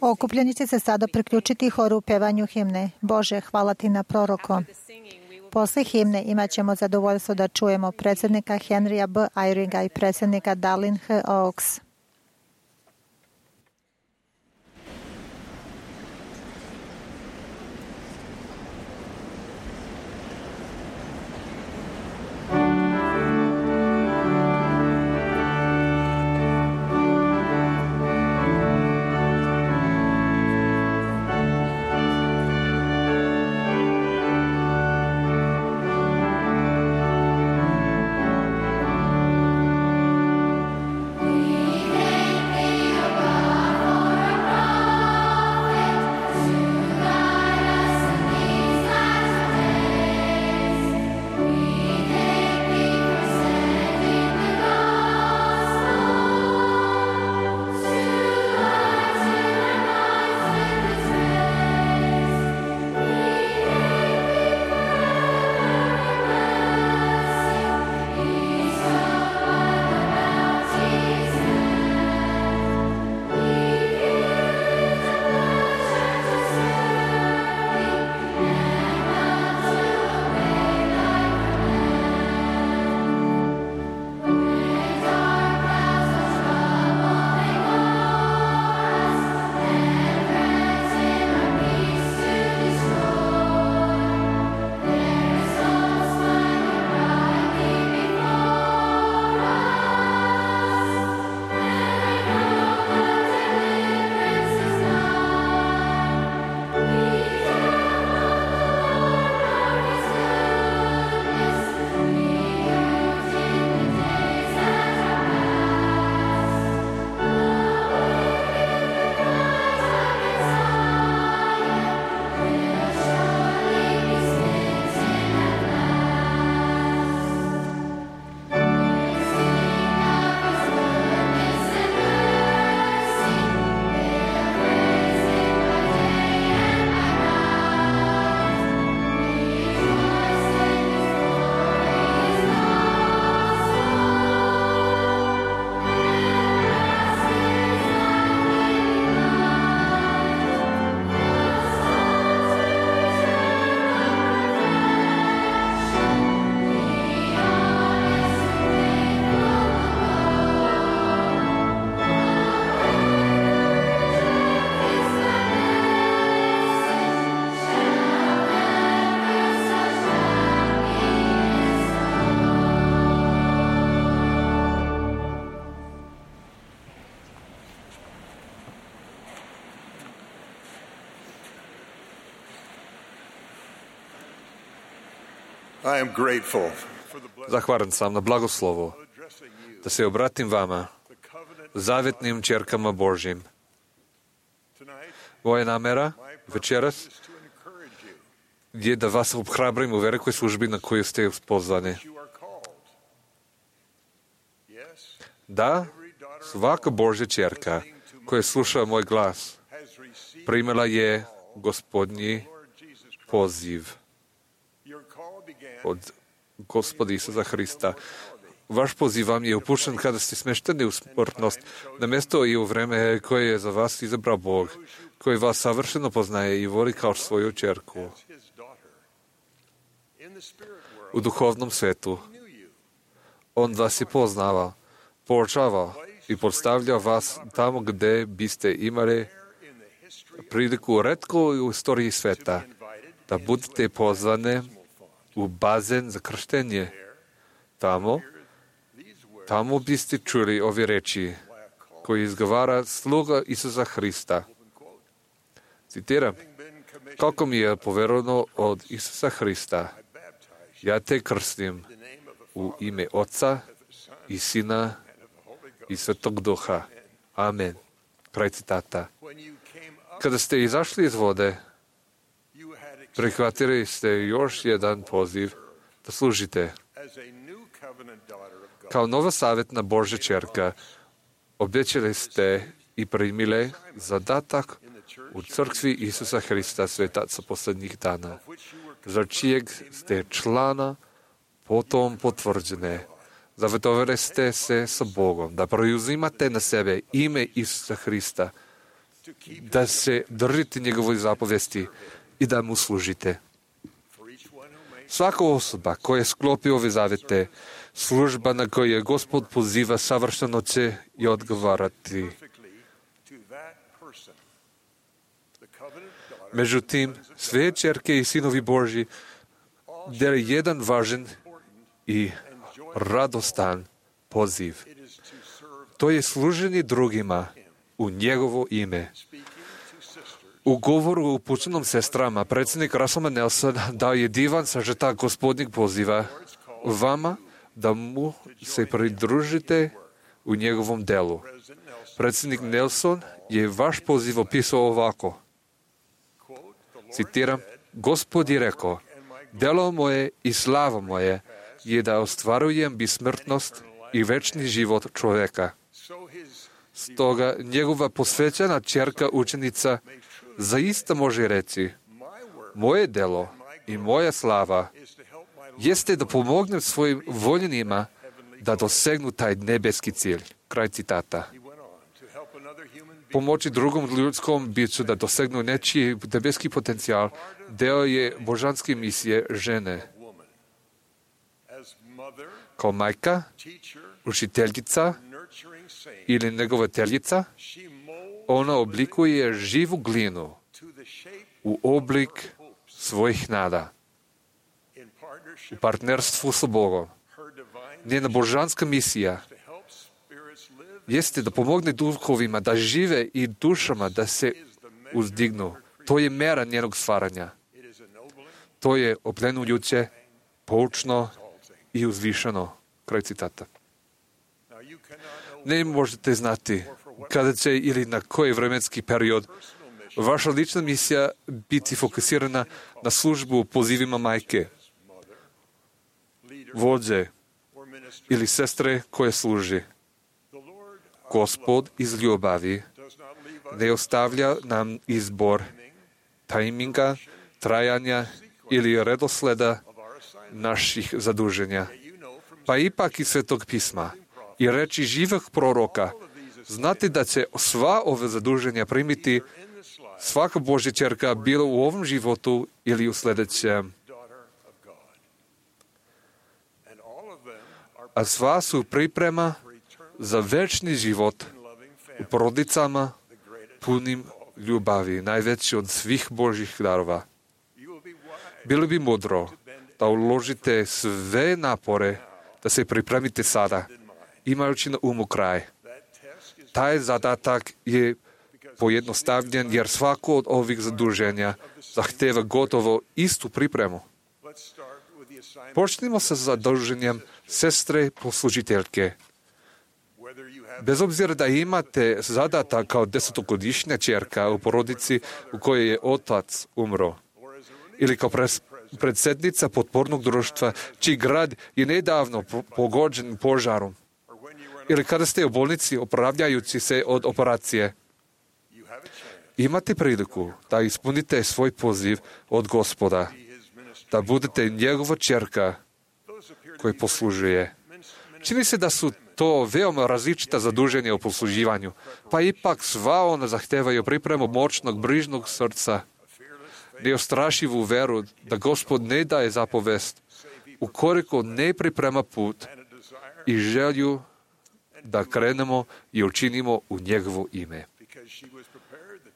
Okupljeni će se sada priključiti horu u pevanju himne. Bože, hvala ti na proroko. Posle himne imat ćemo zadovoljstvo da čujemo predsjednika Henrya B. Eyringa i predsjednika Darlene H. Oaks. Zahvalan sam na blagoslovu da se obratim vama, zavjetnim čerkama Božjim. Moja namera večeras je da vas obhrabrim u velikoj službi na koju ste pozvani. Da, svaka Božja čerka koja sluša moj glas primila je Gospodnji poziv od Gospoda Isusa Hrista. Vaš poziv vam je upućen kada ste smešteni u smrtnost, na mjesto i u vreme koje je za vas izabrao Bog, koji vas savršeno poznaje i voli kao svoju čerku. U duhovnom svetu on vas je poznavao, poučavao i postavljao vas tamo gde biste imali priliku retko u istoriji sveta da budete pozvane u bazen za krštenje. Tamo biste čuli ove reči koji izgovara sluga Isusa Hrista. Citiram, kako mi je poverovano od Isusa Hrista, ja te krstim u ime Oca i Sina i Svetog Duha. Amen. Kraj citata. Kada ste izašli iz vode, prihvatili ste još jedan poziv da služite. Kao nova savjetna Božja čerka, obećali ste i primili zadatak u crkvi Isusa Hrista Svetaca poslednjih dana, za čijeg ste člana potom potvrđene. Zavetovali ste se sa Bogom da preuzimate na sebe ime Isusa Hrista, da se držite njegove zapovesti i da mu služite. Svaka osoba koja sklopi ove zavete, služba na koju je Gospod poziva, savršeno će i odgovarati. Međutim, sve ćerke i sinovi Božji dele jedan važan i radostan poziv. To je služenje drugima u njegovo ime. U govoru upućenom sestrama, predsjednik Russell M. Nelson dao je divan sažetak Gospodnjeg poziva vama da mu se pridružite u njegovom delu. Predsjednik Nelson je vaš poziv opisao ovako. Citiram, Gospod je rekao, delo moje i slava moje je da ostvarujem besmrtnost i večni život čoveka. Stoga njegova posvećena ćerka učenica zaista može reći, moje delo i moja slava jeste da pomognem svojim voljenima da dosegnu taj nebeski cilj. Kraj citata. Pomoći drugom ljudskom biću da dosegnu nečiji nebeski potencijal deo je božanske misije žene. Kao majka, učiteljica ili negovateljica, ona oblikuje živu glinu u oblik svojih nada. U partnerstvu sa Bogom. Njena božanska misija jeste da pomogne duhovima da žive i dušama da se uzdignu. To je mera njenog stvaranja. To je oplenujuće, poučno i uzvišeno. Kraj citata. Ne možete znati kada će ili na koji vremenski period vaša lična misija biti fokusirana na službu u pozivima majke, vođe ili sestre koje služi. Gospod iz ljubavi ne ostavlja nam izbor tajminga, trajanja ili redosleda naših zaduženja. Pa ipak iz Svetog pisma i reči živih proroka, znate da će sva ove zaduženja primiti svaka Božja ćerka bilo u ovom životu ili u sljedećem. A sva su priprema za večni život u porodicama punim ljubavi, najveći od svih Božjih darova. Bilo bi mudro da uložite sve napore da se pripremite sada, imajući na umu kraj. Taj zadatak je pojednostavljen jer svako od ovih zaduženja zahteva gotovo istu pripremu. Počnimo sa zaduženjem sestre poslužiteljke. Bez obzira da imate zadatak kao 10-godišnja ćerka u porodici u kojoj je otac umro, ili kao predsjednica potpornog društva čiji grad je nedavno pogođen požarom, ili kada ste u bolnici opravljajući se od operacije, imate priliku da ispunite svoj poziv od Gospoda, da budete njegova ćerka koja poslužuje. Čini se da su to veoma različita zaduženja u posluživanju, pa ipak sva ona zahtevaju pripremu moćnog, brižnog srca, neostrašivu veru da Gospod ne daje zapovest, ukoliko ne priprema put i želju da krenemo i učinimo u njegovo ime.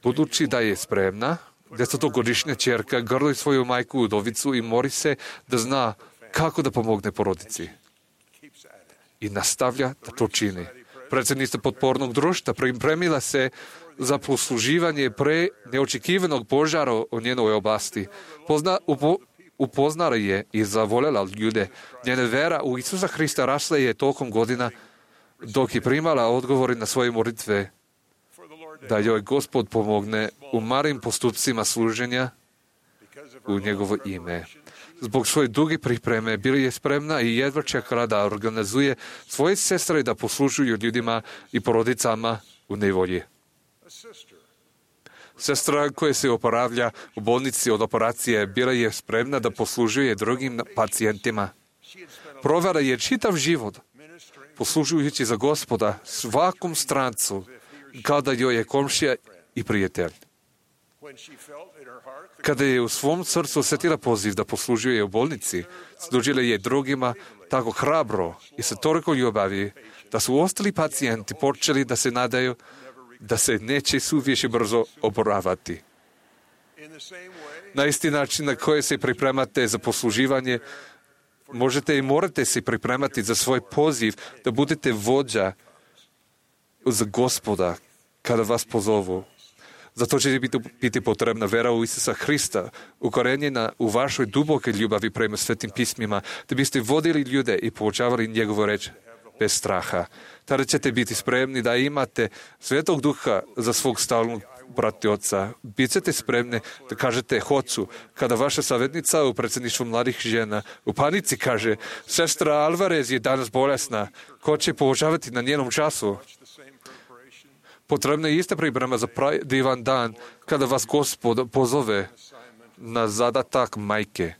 Budući da je spremna, 10-godišnja ćerka grli svoju majku udovicu i mori se da zna kako da pomogne porodici. I nastavlja da to čini. Predsjednica potpornog društva pripremila se za posluživanje pre neočekivanog požara u njenoj oblasti. Upoznala je i zavoljela ljude. Njena vera u Isusa Hrista rasla je tokom godina dok je primala odgovori na svoje molitve da joj Gospod pomogne u malim postupcima služenja u njegovo ime. Zbog svoje duge pripreme bila je spremna i jedva čekala da organizuje svoje sestre da poslužuju ljudima i porodicama u nevolji. Sestra koja se oporavlja u bolnici od operacije bila je spremna da poslužuje drugim pacijentima. Provela je čitav život poslužujući za Gospoda svakom strancu kada joj je komšija i prijatelj. Kada je u svom srcu osjetila poziv da poslužuje u bolnici, služila je drugima tako hrabro i sa toliko ljubavi da su ostali pacijenti počeli da se nadaju da se neće suviše brzo oporavati. Na isti način na koji se pripremate za posluživanje, možete i morate se pripremati za svoj poziv da budete vođa za Gospoda kada vas pozovu. Zato će biti potrebna vera u Isusa Hrista, ukorenjena u vašoj duboke ljubavi prema svetim pismima, da biste vodili ljude i poučavali njegovu reč bez straha. Tada ćete biti spremni da imate Svetog Duha za svog stalnog pratioca. Bićete spremni da kažete hoću, kada vaša savjetnica u predsjedništvu mladih žena u panici kaže: sestra Alvarez je danas bolesna, ko će poučavati na njenom času? Potrebna je ista priprema za divan dan kada vas Gospod pozove na zadatak majke.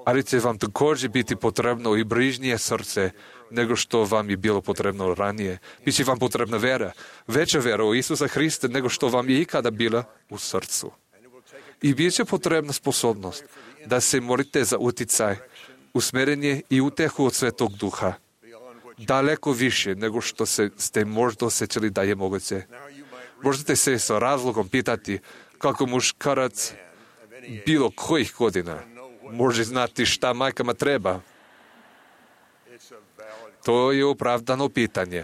Ali će vam također biti potrebno i brižnije srce nego što vam je bilo potrebno ranije. Biće vam potrebna vera, veća vera u Isusa Hrista nego što vam je ikada bila u srcu. I bit će potrebna sposobnost da se molite za uticaj, usmjerenje i utehu od Svetog Duha. Daleko više nego što ste možda osjećali da je moguće. Možete se sa razlogom pitati kako muškarac bilo kojih godina može znati šta majkama treba. To je opravdano pitanje.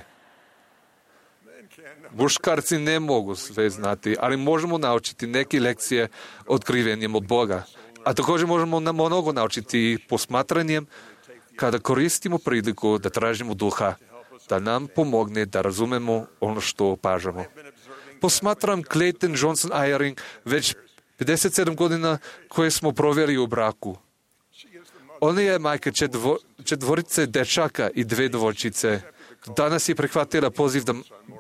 Muškarci ne mogu sve znati, ali možemo naučiti neke lekcije otkrivenjem od Boga. A također možemo mnogo naučiti posmatranjem kada koristimo priliku da tražimo Duha, da nam pomogne da razumemo ono što opažamo. Posmatram Clayton Johnson Eyring već 57 godina koje smo proveli u braku. Ona je majka četvorice dečaka i 2 djevojčice. Danas je prihvatila poziv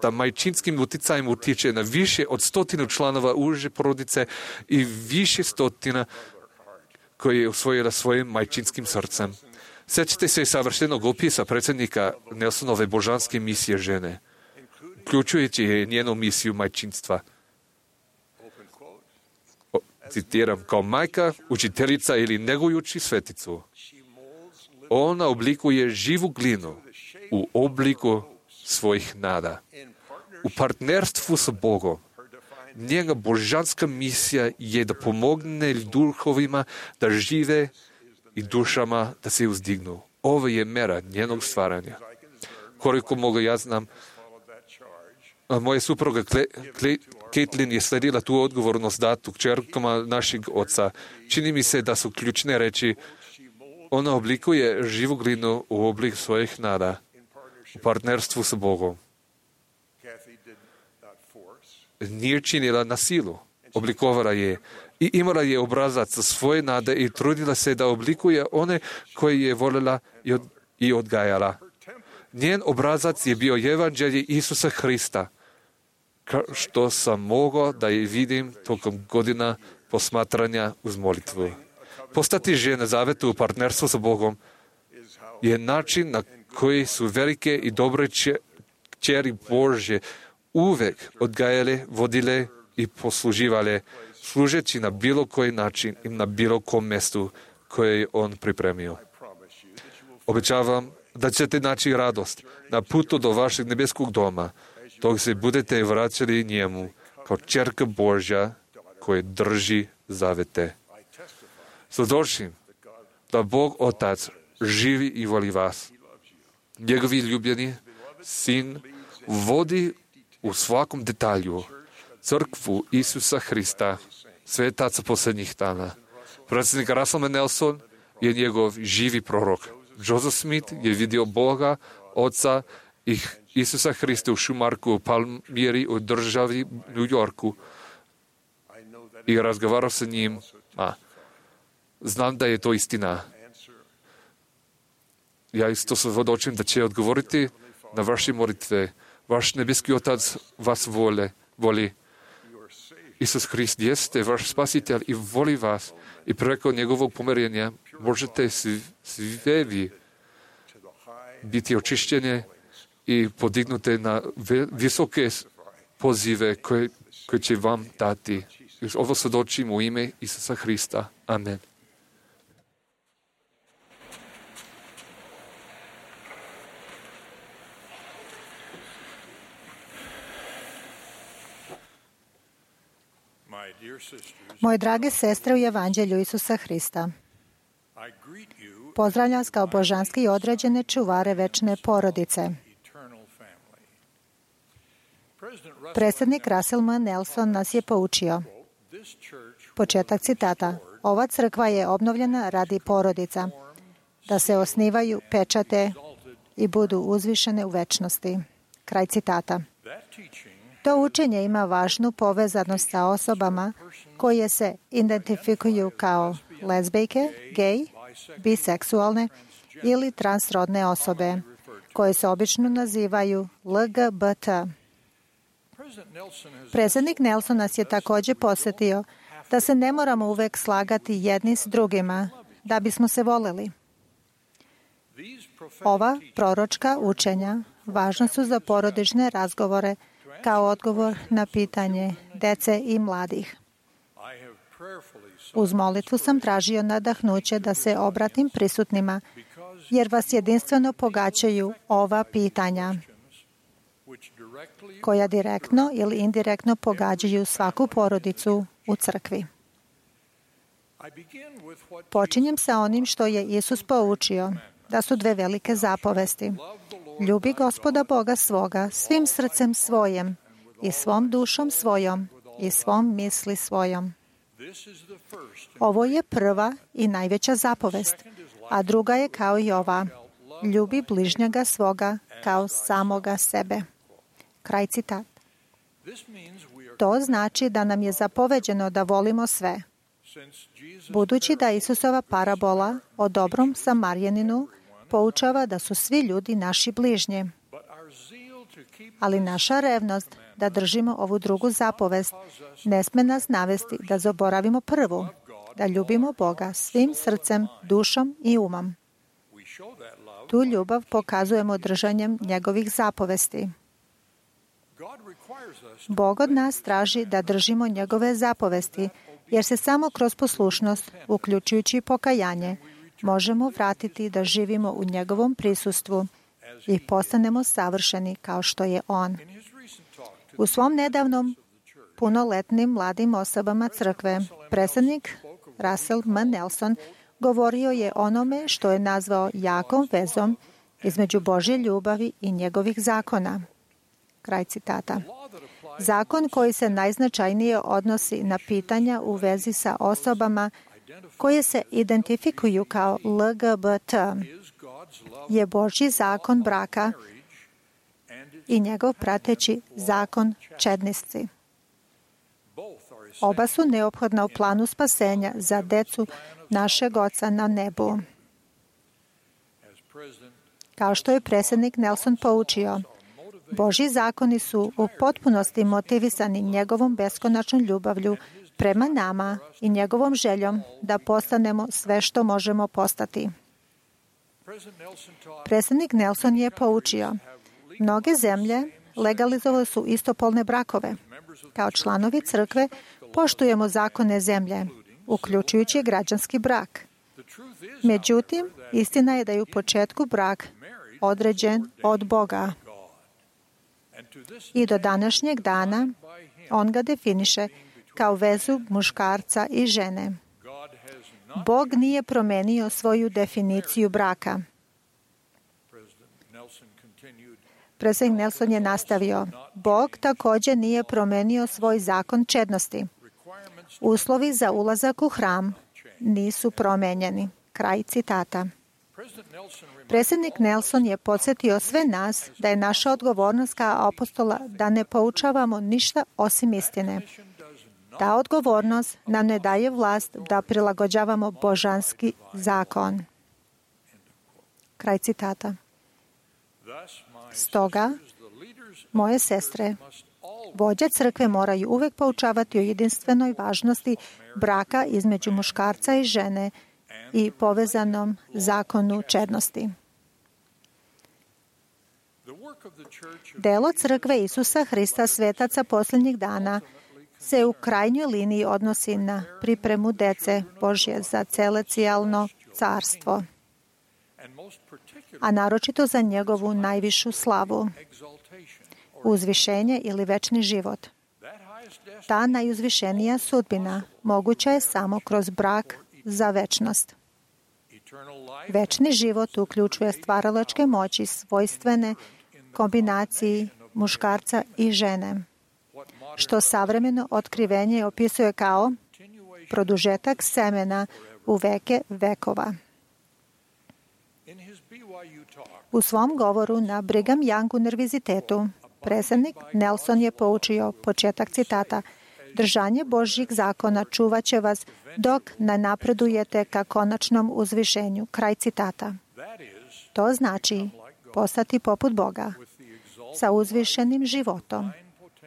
da majčinskim uticajem utiče na više od 100 članova uže porodice i više 100 koje je usvojila svojim majčinskim srcem. Sjećate se savršenog opisa predsjednika Nelsonove božanske misije žene, uključujući njenu misiju majčinstva. Citiram, kao majka, učiteljica ili negujući sveticu. Ona oblikuje živu glinu u obliku svojih nada. U partnerstvu sa Bogom. Njega božanska misija je da pomogne duhovima da žive i dušama da se uzdignu. Ovo je mera njenog stvaranja. Koliko mogu ja znam, moja supruga Caitlin je sledila tu odgovornost datu kćerkama našeg oca. Čini mi se da su ključne reči: ona oblikuje živu glinu u oblik svojih nada u partnerstvu sa Bogom. Nije činila na silu, oblikovala je i imala je obrazac za svoje nade i trudila se da oblikuje one koje je voljela i odgajala. Njen obrazac je bio evanđelje Isusa Hrista, što sam mogao da je vidim tokom godina posmatranja uz molitvu. Postati žena zaveta u partnerstvu sa Bogom je način na koji su velike i dobre kćeri Božje uvek odgajale, vodile i posluživale služeći na bilo koji način i na bilo kom mjestu koje je on pripremio. Obećavam da ćete naći radost na putu do vašeg nebeskog doma, dok se budete vraćali njemu kao ćerka Božja koja drži zavete. Svjedočim da Bog Otac živi i voli vas. Njegovi ljubljeni sin vodi u svakom detalju crkvu Isusa Hrista, svetaca posljednjih dana. Predsjednik Russell Nelson je njegov živi prorok. Joseph Smith je vidio Boga, Oca i Isusa Hrista u Šumarku, u Palmiri, u državi New Yorku i razgovarao sa njim. Znam da je to istina. Ja isto svjedočim da će odgovoriti na vaše molitve. Vaš nebeski Otac vas voli. Isus Hrist jeste vaš spasitelj i voli vas. I preko njegovog pomirenja možete sve vi biti očišćeni i podignute na visoke pozive koje će vam dati. Ovo svjedočim u ime Isusa Hrista. Amen. Moje drage sestre u Evanđelju Isusa Hrista, pozdravljam vas kao božanski i određene čuvare večne porodice. Predsjednik Russell M. Nelson nas je poučio. Početak citata. Ova crkva je obnovljena radi porodica, da se osnivaju, pečate i budu uzvišene u večnosti. Kraj citata. To učenje ima važnu povezanost sa osobama koje se identifikuju kao lezbijke, gej, biseksualne ili transrodne osobe, koje se obično nazivaju LGBT. Predsjednik Nelson nas je također podsjetio da se ne moramo uvek slagati jedni s drugima da bismo se voleli. Ova proročka učenja važna su za porodične razgovore kao odgovor na pitanje dece i mladih. Uz molitvu sam tražio nadahnuće da se obratim prisutnima, jer vas jedinstveno pogađaju ova pitanja, koja direktno ili indirektno pogađaju svaku porodicu u crkvi. Počinjem sa onim što je Isus poučio, da su dve velike zapovesti. Ljubi Gospoda Boga svoga svim srcem svojim i svom dušom svojom i svom misli svojom. Ovo je prva i najveća zapovest, a druga je kao i ova. Ljubi bližnjega svoga kao samoga sebe. Kraj citat. To znači da nam je zapoveđeno da volimo sve. Budući da Isusova parabola o dobrom Samarjaninu poučava da su svi ljudi naši bližnji. Ali naša revnost da držimo ovu drugu zapovest ne sme nas navesti da zaboravimo prvu, da ljubimo Boga svim srcem, dušom i umom. Tu ljubav pokazujemo držanjem njegovih zapovesti. Bog od nas traži da držimo njegove zapovesti, jer se samo kroz poslušnost, uključujući pokajanje, možemo vratiti da živimo u njegovom prisustvu i postanemo savršeni kao što je on. U svom nedavnom punoletnim mladim osobama crkve, predsjednik Russell M. Nelson govorio je onome što je nazvao jakom vezom između Božje ljubavi i njegovih zakona. Kraj citata. Zakon koji se najznačajnije odnosi na pitanja u vezi sa osobama koje se identifikuju kao LGBT je Božji zakon braka i njegov prateći zakon čednosti. Oba su neophodna u planu spasenja za decu našeg Oca na nebu. Kao što je predsjednik Nelson poučio, Božji zakoni su u potpunosti motivisani njegovom beskonačnom ljubavlju prema nama i njegovom željom da postanemo sve što možemo postati. Predsjednik Nelson je poučio, mnoge zemlje legalizovale su istopolne brakove. Kao članovi crkve poštujemo zakone zemlje, uključujući građanski brak. Međutim, istina je da je u početku brak određen od Boga. I do današnjeg dana on ga definiše kao vezu muškarca i žene. Bog nije promenio svoju definiciju braka. Predsjednik Nelson je nastavio, Bog također nije promenio svoj zakon čednosti. Uslovi za ulazak u hram nisu promenjeni. Kraj citata. Predsjednik Nelson je podsjetio sve nas da je naša odgovornost kao apostola da ne poučavamo ništa osim istine. Ta odgovornost nam ne daje vlast da prilagođavamo božanski zakon. Kraj citata. Stoga, moje sestre, vođe crkve moraju uvijek poučavati o jedinstvenoj važnosti braka između muškarca i žene i povezanom zakonu čednosti. Delo crkve Isusa Hrista svetaca posljednjih dana se u krajnjoj liniji odnosi na pripremu dece Božje za celestijalno carstvo, a naročito za njegovu najvišu slavu, uzvišenje ili večni život. Ta najuzvišenija sudbina moguća je samo kroz brak za večnost. Večni život uključuje stvaralačke moći svojstvene kombinaciji muškarca i žene, što savremeno otkrivenje opisuje kao produžetak semena u veke vekova. U svom govoru na Brigham Young univerzitetu predsjednik Nelson je poučio, početak citata, držanje Božjih zakona čuvat će vas dok ne napredujete ka konačnom uzvišenju. Kraj citata. To znači postati poput Boga sa uzvišenim životom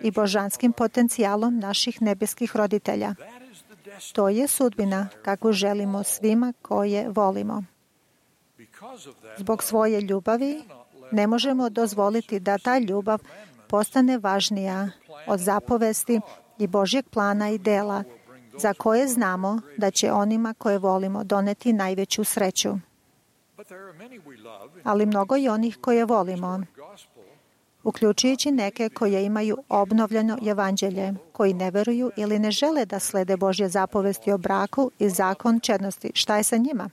i božanskim potencijalom naših nebeskih roditelja. To je sudbina kakvu želimo svima koje volimo. Zbog svoje ljubavi ne možemo dozvoliti da ta ljubav postane važnija od zapovesti i Božjeg plana i dela za koje znamo da će onima koje volimo doneti najveću sreću. Ali mnogo je onih koje volimo, uključujući neke koje imaju obnovljeno evanđelje, koji ne veruju ili ne žele da slede Božje zapovesti o braku i zakon čednosti. Šta je sa njima?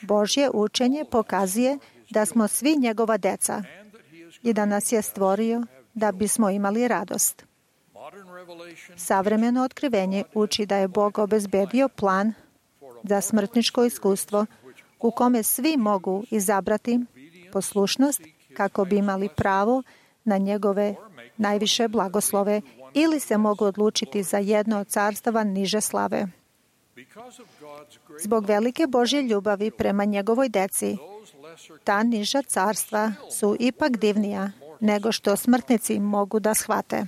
Božje učenje pokazuje da smo svi njegova deca i da nas je stvorio da bismo imali radost. Savremeno otkrivenje uči da je Bog obezbedio plan za smrtničko iskustvo u kome svi mogu izabrati poslušnost kako bi imali pravo na njegove najviše blagoslove ili se mogu odlučiti za jedno od carstava niže slave. Zbog velike Božje ljubavi prema njegovoj deci, ta niža carstva su ipak divnija nego što smrtnici mogu da shvate.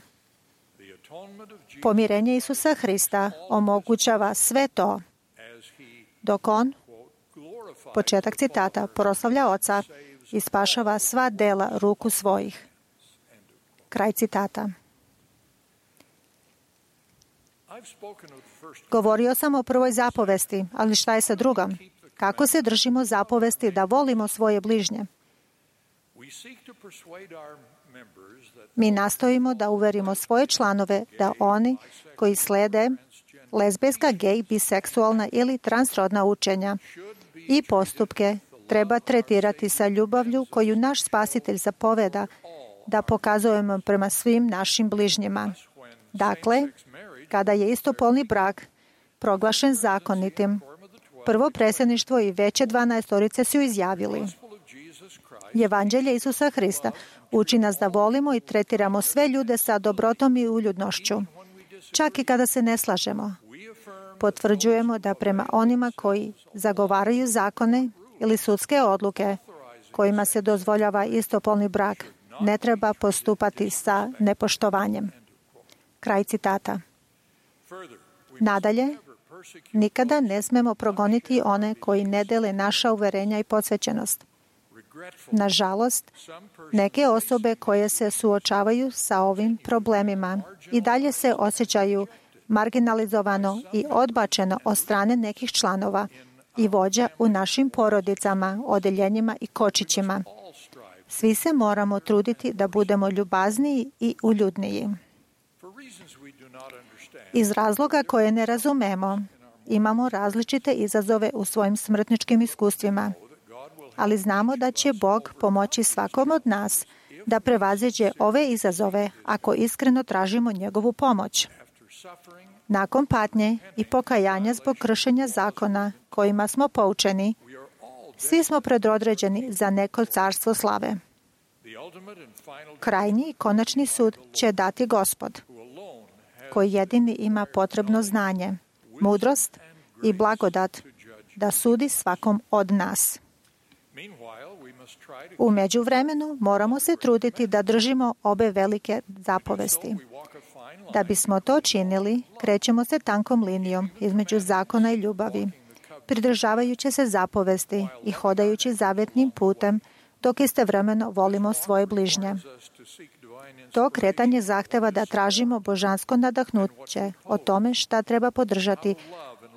Pomirenje Isusa Hrista omogućava sve to, dok on, početak citata, proslavlja Oca i spašava sva dela ruku svojih. Kraj citata. Govorio sam o prvoj zapovesti, ali šta je sa drugom? Kako se držimo zapovesti da volimo svoje bližnje? Mi nastojimo da uverimo svoje članove da oni koji slede lezbijska, gej, biseksualna ili transrodna učenja i postupke treba tretirati sa ljubavlju koju naš Spasitelj zapoveda da pokazujemo prema svim našim bližnjima. Dakle, kada je istopolni brak proglašen zakonitim, prvo predsjedništvo i veće 12 su izjavili: Evanđelje Isusa Hrista uči nas da volimo i tretiramo sve ljude sa dobrotom i uljudnošću. Čak i kada se ne slažemo, potvrđujemo da prema onima koji zagovaraju zakone ili sudske odluke kojima se dozvoljava istopolni brak, ne treba postupati sa nepoštovanjem. Kraj citata. Nadalje, nikada ne smemo progoniti one koji ne dele naša uverenja i posvećenost. Nažalost, neke osobe koje se suočavaju sa ovim problemima i dalje se osjećaju marginalizovano i odbačeno od strane nekih članova i vođa u našim porodicama, odeljenjima i kočićima. Svi se moramo truditi da budemo ljubazniji i uljudniji. Iz razloga koje ne razumemo, imamo različite izazove u svojim smrtničkim iskustvima, ali znamo da će Bog pomoći svakom od nas da prevaziđe ove izazove ako iskreno tražimo njegovu pomoć. Nakon patnje i pokajanja zbog kršenja zakona kojima smo poučeni, svi smo predodređeni za neko carstvo slave. Krajnji i konačni sud će dati Gospod, koji jedini ima potrebno znanje, mudrost i blagodat da sudi svakom od nas. U međuvremenu moramo se truditi da držimo obe velike zapovesti. Da bismo to činili, krećemo se tankom linijom između zakona i ljubavi, pridržavajući se zapovesti i hodajući zavetnim putem, dok istovremeno volimo svoje bližnje. To kretanje zahteva da tražimo božansko nadahnuće o tome šta treba podržati,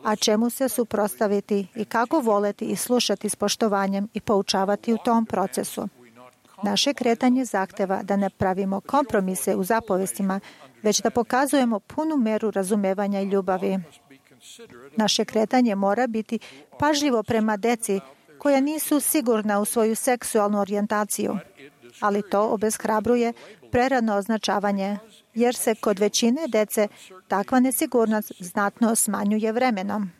a čemu se suprotstaviti i kako voleti i slušati s poštovanjem i poučavati u tom procesu. Naše kretanje zahteva da ne pravimo kompromise u zapovestima, već da pokazujemo punu meru razumevanja i ljubavi. Naše kretanje mora biti pažljivo prema deci koja nisu sigurna u svoju seksualnu orijentaciju, ali to obeshrabruje prerano označavanje, jer se kod većine dece takva nesigurnost znatno smanjuje vremenom.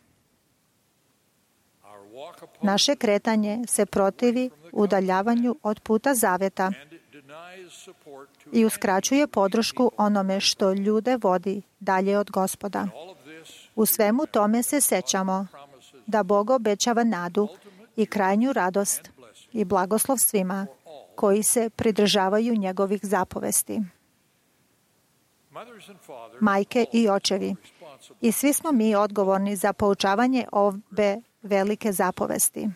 Naše kretanje se protivi udaljavanju od puta zaveta i uskraćuje podršku onome što ljude vodi dalje od Gospoda. U svemu tome se sećamo da Bog obećava nadu i krajnju radost i blagoslov svima koji se pridržavaju njegovih zapovesti. Majke i očevi, i svi smo mi odgovorni za poučavanje ove velike zapovesti.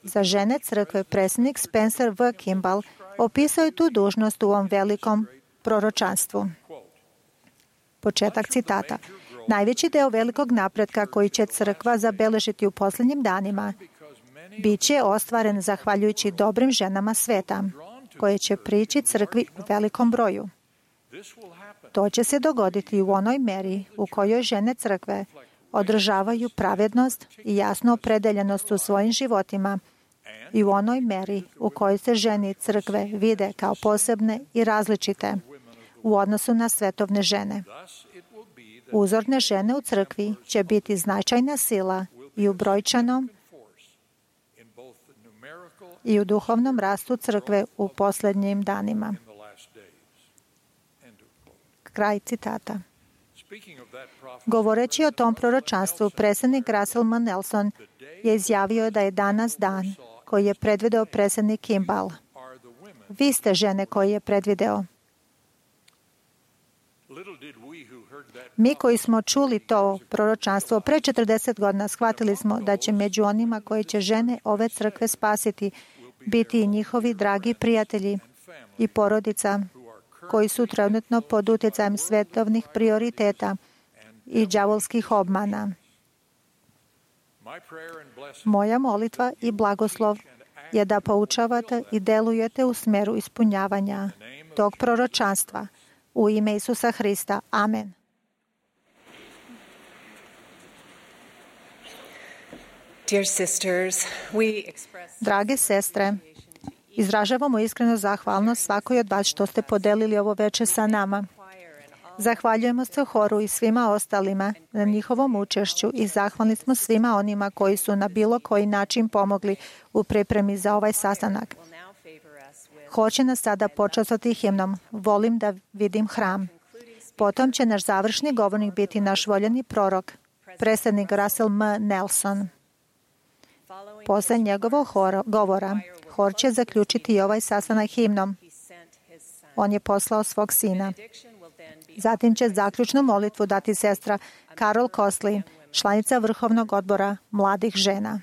Za žene crkve predsjednik Spencer V. Kimball opisao je tu dužnost u ovom velikom proročanstvu. Početak citata. Najveći deo velikog napretka koji će crkva zabeležiti u posljednjim danima bit će ostvaren zahvaljujući dobrim ženama sveta, koje će prići crkvi u velikom broju. To će se dogoditi u onoj meri u kojoj žene crkve održavaju pravednost i jasnu opredeljenost u svojim životima i u onoj meri u kojoj se žene crkve vide kao posebne i različite u odnosu na svetovne žene. Uzorne žene u crkvi će biti značajna sila i u brojčanom i u duhovnom rastu crkve u posljednjim danima. Kraj citata. Govoreći o tom proročanstvu, predsjednik Russell M. Nelson je izjavio da je danas dan koji je predvideo predsjednik Kimball. Vi ste žene koje je predvideo. Mi koji smo čuli to proročanstvo pre 40 godina, shvatili smo da će među onima koji će žene ove crkve spasiti biti i njihovi dragi prijatelji i porodica koji su trenutno pod utjecajem svetovnih prioriteta i đavolskih obmana. Moja molitva i blagoslov je da poučavate i delujete u smeru ispunjavanja tog proročanstva. U ime Isusa Hrista. Amen. Drage sestre, izražavamo iskreno zahvalnost svakoj od vas što ste podelili ovo večer sa nama. Zahvaljujemo se horu i svima ostalima na njihovom učešću i zahvalni smo svima onima koji su na bilo koji način pomogli u pripremi za ovaj sastanak. Hor će nas sada počastiti himnom Volim da vidim hram. Potom će naš završni govornik biti naš voljeni prorok, predsjednik Russell M. Nelson. Posle njegovog govora, hor će zaključiti i ovaj sastanak himnom. On je poslao svog sina. Zatim će zaključnu molitvu dati sestra Carol Kosli, članica Vrhovnog odbora mladih žena.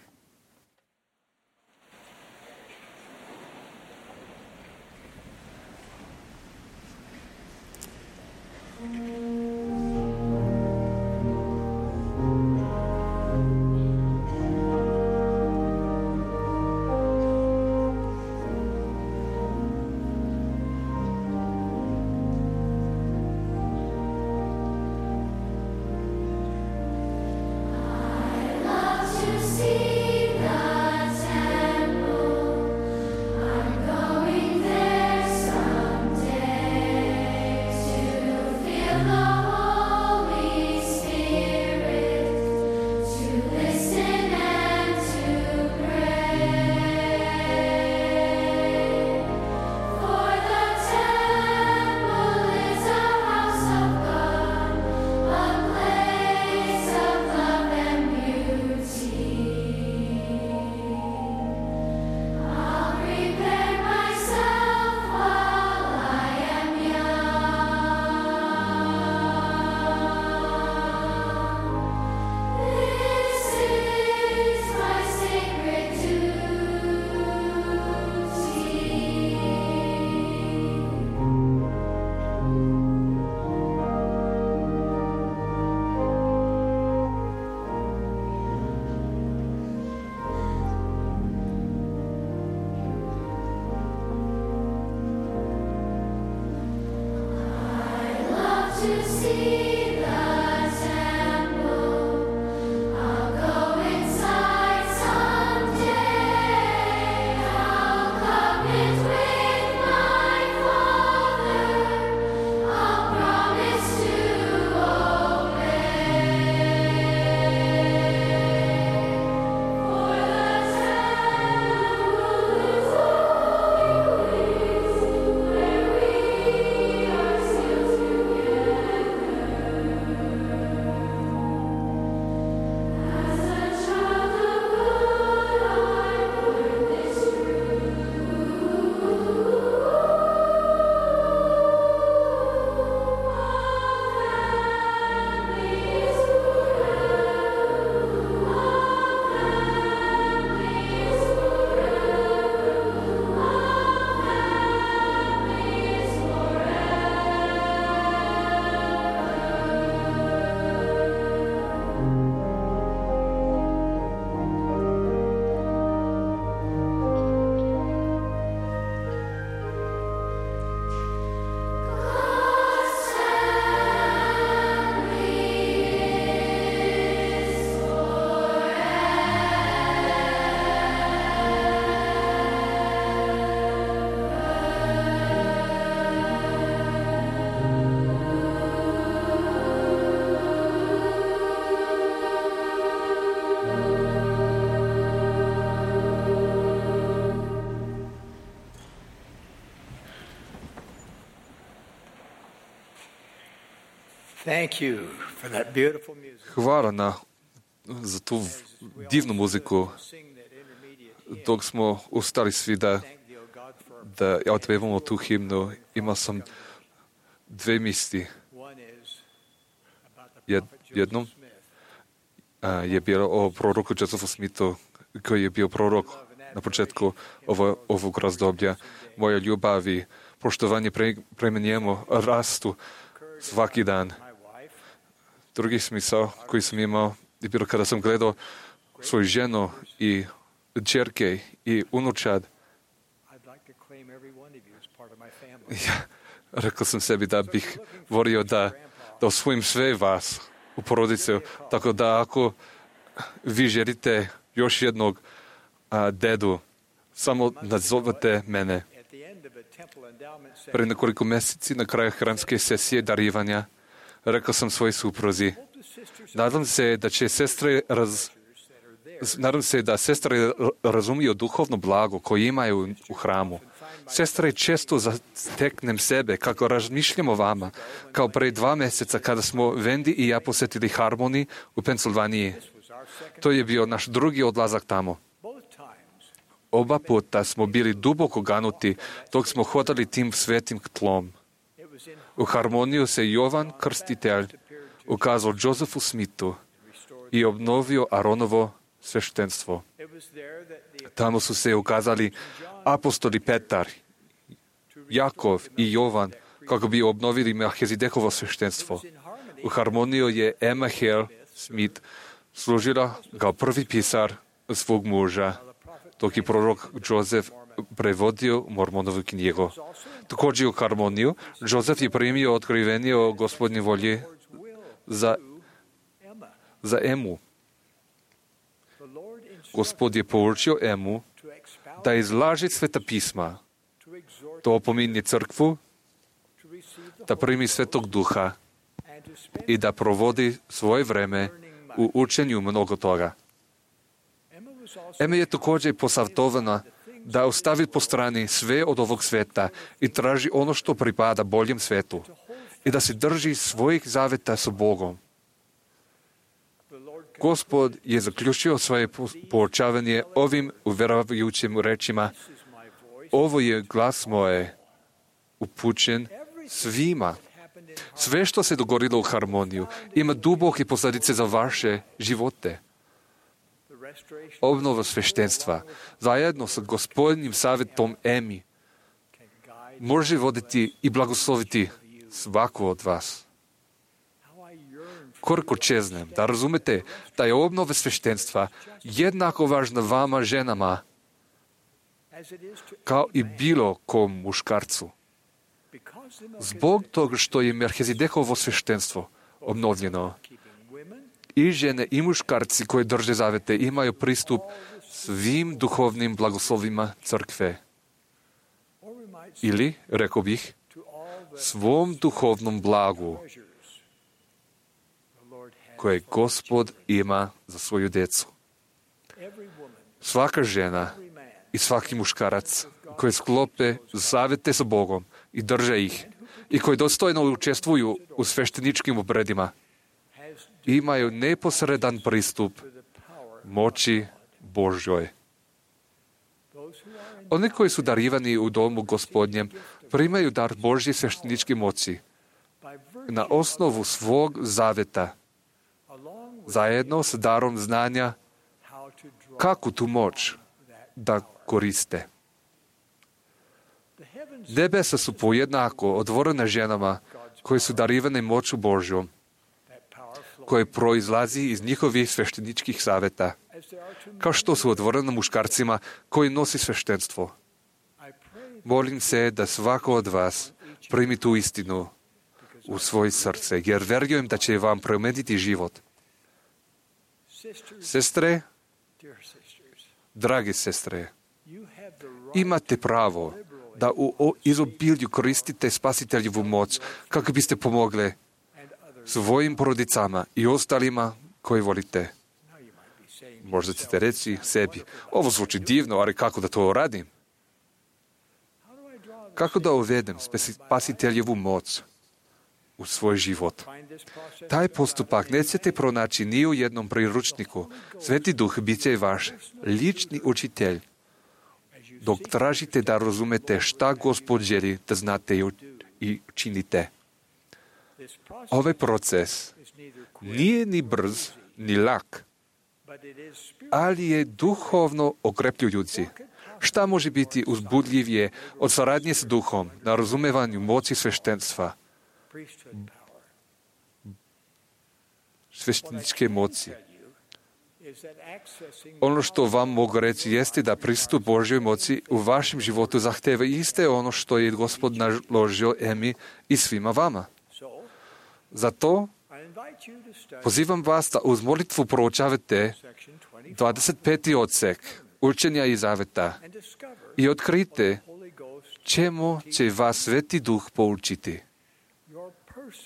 Hvala za tu divnu muziku. Dok smo ustali svi da otpevamo tu himnu, imao sam dve misli. Jednom je bilo o proroku Josephu Smithu, koji je bio prorok na početku ovog razdoblja. Moja ljubav i poštovanje prema njemu rastu svaki dan. Drugi smisao koji sam imao je bilo kada sam gledao svoju ženu i čerke i unučad. Rekao sam sebi da bih volio da osvojim sve vas u porodicu, tako da ako vi želite još jednog dedu, samo nazovete mene. Pre nekoliko mjeseci na kraju hramske sesije darivanja rekao sam svojoj supruzi, nadam se da sestre razumiju duhovno blago koje imaju u hramu. Sestre, često zateknem sebe kako razmišljam o vama, kao pre 2 mjeseca kada smo Wendy i ja posjetili Harmony u Pensilvaniji. To je bio naš drugi odlazak tamo. Oba puta smo bili duboko ganuti dok smo hodali tim svetim tlom. U Harmoniju se Jovan Krstitelj ukazao Josephu Smithu i obnovio Aronovo sveštenstvo. Tamo su se ukazali apostoli Petar, Jakov i Jovan kako bi obnovili Melchizedekovo sveštenstvo. U Harmoniju je Emma Hale Smith služila kao prvi pisar svog muža, dok je prorok Joseph prevodio Mormonovu knjigu. Također u Harmoniju Joseph je primio otkrivenje o Gospodnje volje za Emu. Gospod je poučio Emu da izlaži sveta pisma, to opominje crkvu, da primi Svetog Duha i da provodi svoje vreme u učenju mnogo toga. Ema je također posavjetovana da ostavi po strani sve od ovog sveta i traži ono što pripada boljem svetu i da se drži svojih zaveta sa Bogom. Gospod je zaključio svoje poučavanje ovim uvjeravajućim rečima: ovo je glas moje, upućen svima. Sve što se dogodilo u Harmoniju ima duboke posljedice za vaše živote. Obnova sveštenstva, zajedno sa Gospodnjim savjetom Emi, može voditi i blagosloviti svaku od vas. Koliko čeznem da razumete da je obnova sveštenstva jednako važna vama ženama kao i bilo kom muškarcu. Zbog toga što je Melchizedekovo sveštenstvo obnovljeno, i žene i muškarci koji drže zavete imaju pristup svim duhovnim blagoslovima crkve. Ili, rekao bih, svom duhovnom blagu koje Gospod ima za svoju djecu. Svaka žena i svaki muškarac koji sklope zavete sa Bogom i drže ih i koji dostojno učestvuju u svešteničkim obredima imaju neposredan pristup moći Božjoj. Oni koji su darivani u domu Gospodnjem primaju dar Božje svešteničke moći na osnovu svog zaveta, zajedno s darom znanja kako tu moć da koriste. Nebesa su pojednako otvorene ženama koje su darivane moću Božjom, koje proizlazi iz njihovih svešteničkih saveta, kao što su otvorene muškarcima koji nosi sveštenstvo. Molim se da svako od vas primi tu istinu u svoje srce, jer vjerujem da će vam promijeniti život. Sestre, drage sestre, imate pravo da u izobilju koristite spasiteljevu moć kako biste pomogle svojim porodicama i ostalima koji volite. Možda ćete reći sebi, ovo zvuči divno, ali kako da to radim? Kako da uvedem spasiteljevu moć u svoj život. Taj postupak nećete pronaći ni u jednom priručniku. Sveti Duh bit će vaš lični učitelj, dok tražite da razumete šta Gospod želi da znate i činite. Ovaj proces nije ni brz, ni lak, ali je duhovno okrepljujući. Šta može biti uzbudljivije od saradnje s Duhom na razumevanju moći sveštenstva, svešteničke moći? Ono što vam mogu reći jeste da pristup Božjoj moći u vašem životu zahteva iste ono što je Gospod naložio Emi i svima vama. Zato pozivam vas da uz molitvu proučavate 25. odsek učenja i zaveta i otkrite čemu će vas Sveti Duh poučiti.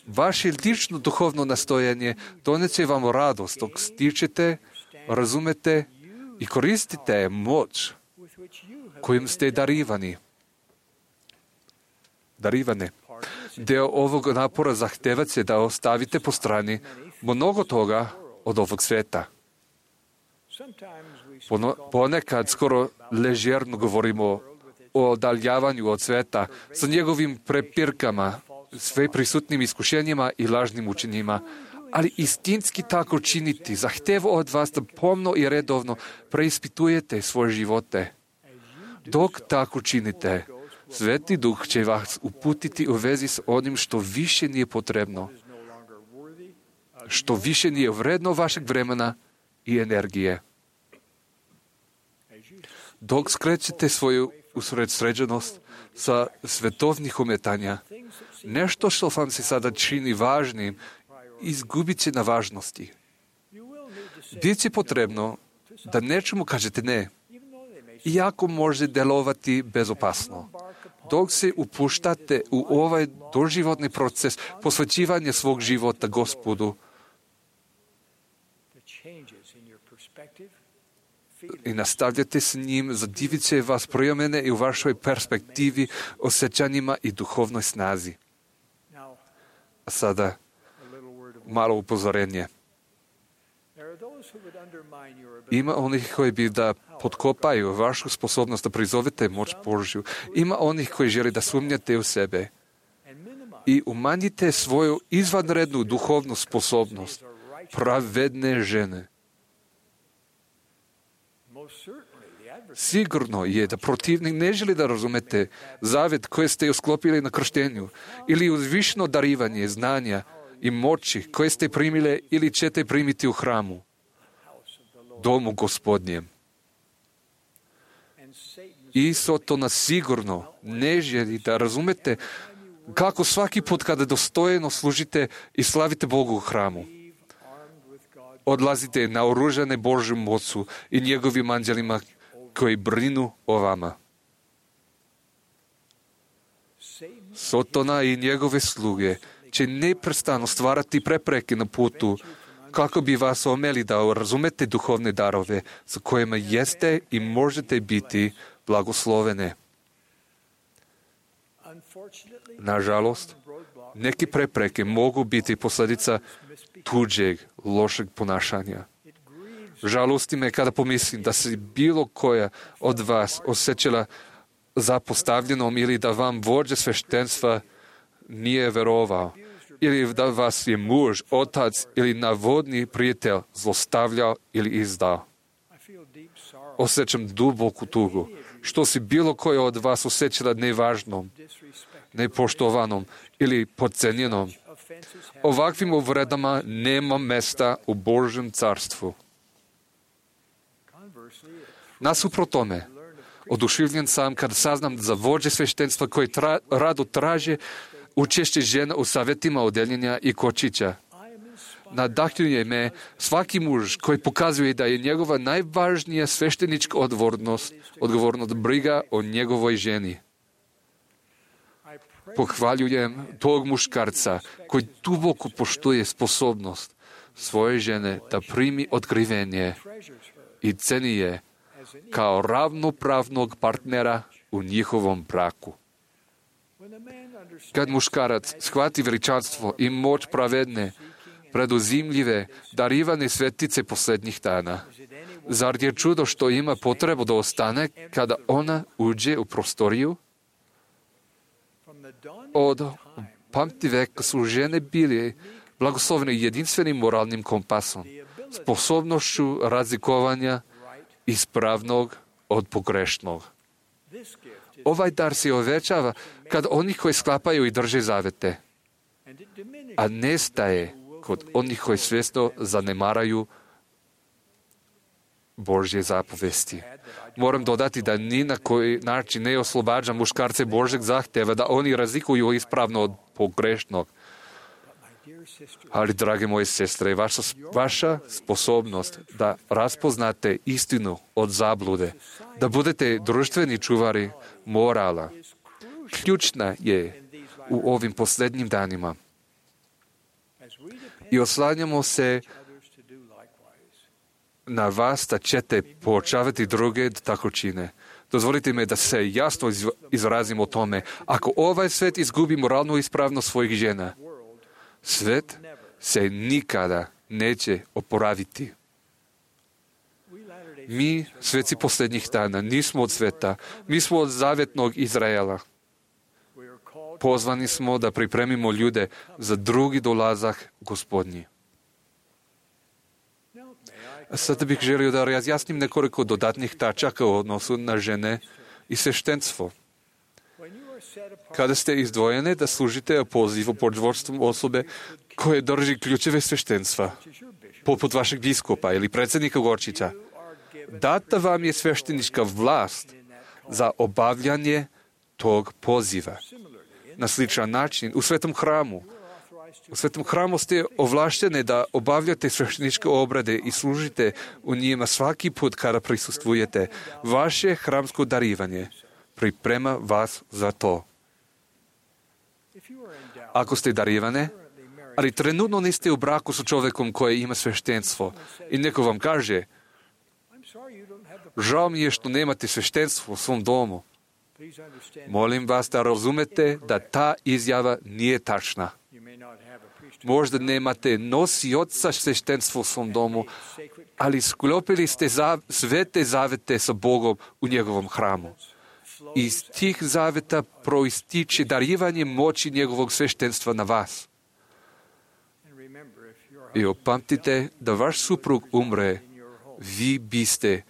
Vaše lično duhovno nastojanje doneće vam radost dok stičete, razumete i koristite moć kojim ste darivane. Deo ovog napora zahteva se da ostavite po strani mnogo toga od ovog sveta. Ponekad skoro ležerno govorimo o odaljavanju od sveta sa njegovim prepirkama, sve prisutnim iskušenjima i lažnim učenjima, ali istinski tako činiti zahteva od vas da pomno i redovno preispitujete svoje živote. Dok tako činite, Sveti Duh će vas uputiti u vezi s onim što više nije potrebno, što više nije vredno vašeg vremena i energije. Dok skrećete svoju usredsređenost sa svetovnih umetanja, nešto što vam se sada čini važnim, izgubit će na važnosti. Bit će potrebno da nečemu kažete ne, iako može delovati bezopasno. Dok se upuštate u ovaj doživotni proces posvećivanja svog života Gospodu i nastavljate s njim, zadivit će vas promjene i u vašoj perspektivi, osjećanjima i duhovnoj snazi. A sada malo upozorenje. Ima onih koji bi da potkopaju vašu sposobnost da prizovete moć Božju. Ima onih koji žele da sumnjate u sebe i umanjite svoju izvanrednu duhovnu sposobnost pravedne žene. Sigurno je da protivnik ne želi da razumete zavet koji ste usklopili na krštenju ili uzvišeno darivanje znanja i moći koje ste primile ili ćete primiti u hramu, domu Gospodnjem. I Sotona sigurno ne želi da razumete kako svaki put kada dostojno služite i slavite Bogu u hramu, odlazite naoružane Božjom mocu i njegovim anđelima koji brinu o vama. Sotona i njegove sluge će neprestano stvarati prepreke na putu kako bi vas omeli da razumete duhovne darove sa kojima jeste i možete biti blagoslovene. Nažalost, neke prepreke mogu biti posljedica tuđeg, lošeg ponašanja. Žalosti me kada pomislim da se bilo koja od vas osjećala zapostavljenom ili da vam vođa sveštenstva nije verovao, ili da vas je muž, otac ili navodni prijatelj zlostavljao ili izdao. Osjećam duboku tugu, što si bilo koja od vas osjećala nevažnom, nepoštovanom ili podcenjenom. Ovakvim uvredama nema mesta u Božjem carstvu. Nasuprot tome, oduševljen sam kad saznam za vođe sveštenstva koji rado traže učešće žena u savjetima odeljenja i kočića. Nadahnjuje me svaki muž koji pokazuje da je njegova najvažnija sveštenička odgovornost briga o njegovoj ženi. Pohvaljujem tog muškarca koji duboko poštuje sposobnost svoje žene da primi otkrivenje i ceni je kao ravnopravnog partnera u njihovom braku. Kad muškarac shvati veličanstvo i moć pravedne, preduzimljive, darivane svetice posljednjih dana, zar je čudo što ima potrebu da ostane kada ona uđe u prostoriju? Od pamtiveka su žene bile blagoslovene jedinstvenim moralnim kompasom, sposobnošću razlikovanja ispravnog od pogrešnog. Ovaj dar se uvećava kad oni koji sklapaju i drže zavete, a nestaje kod onih koji svjesno zanemaraju Božje zapovesti. Moram dodati da ni na koji način ne oslobađa muškarce Božeg zahtjeva da oni razlikuju ispravno od pogrešnog. Ali, drage moje sestre, vaša sposobnost da raspoznate istinu od zablude, da budete društveni čuvari morala, ključna je u ovim posljednjim danima. I oslanjamo se na vas da ćete poučavati druge da tako čine. Dozvolite mi da se jasno izrazim o tome. Ako ovaj svet izgubi moralnu ispravnost svojih žena, svet se nikada neće oporaviti. Mi, sveci posljednjih dana, nismo od sveta. Mi smo od zavjetnog Izraela. Pozvani smo da pripremimo ljude za drugi dolazak Gospodnji. Sada bih želio da razjasnim nekoliko dodatnih tačaka u odnosu na žene i sveštenstvo. Kada ste izdvojene da služite pozivu pod vodstvom osobe koje drži ključeve sveštenstva, poput vašeg biskupa ili predsjednika Gorčića, data vam je sveštenička vlast za obavljanje tog poziva. Na sličan način, u Svetom hramu. U Svetom hramu ste ovlaštene da obavljate svešteničke obrade i služite u njima svaki put kada prisustvujete. Vaše hramsko darivanje priprema vas za to. Ako ste darivane, ali trenutno niste u braku sa čovjekom koji ima sveštenstvo i neko vam kaže: žao mi je što nemate sveštenstvo u svom domu. Molim vas da razumete da ta izjava nije tačna. Možda nemate nosioca sveštenstva u svom domu, ali sklopili ste svete zavete sa Bogom u njegovom hramu. Iz tih zaveta proističe darivanje moći njegovog sveštenstva na vas. I opamtite da vaš suprug umre, vi biste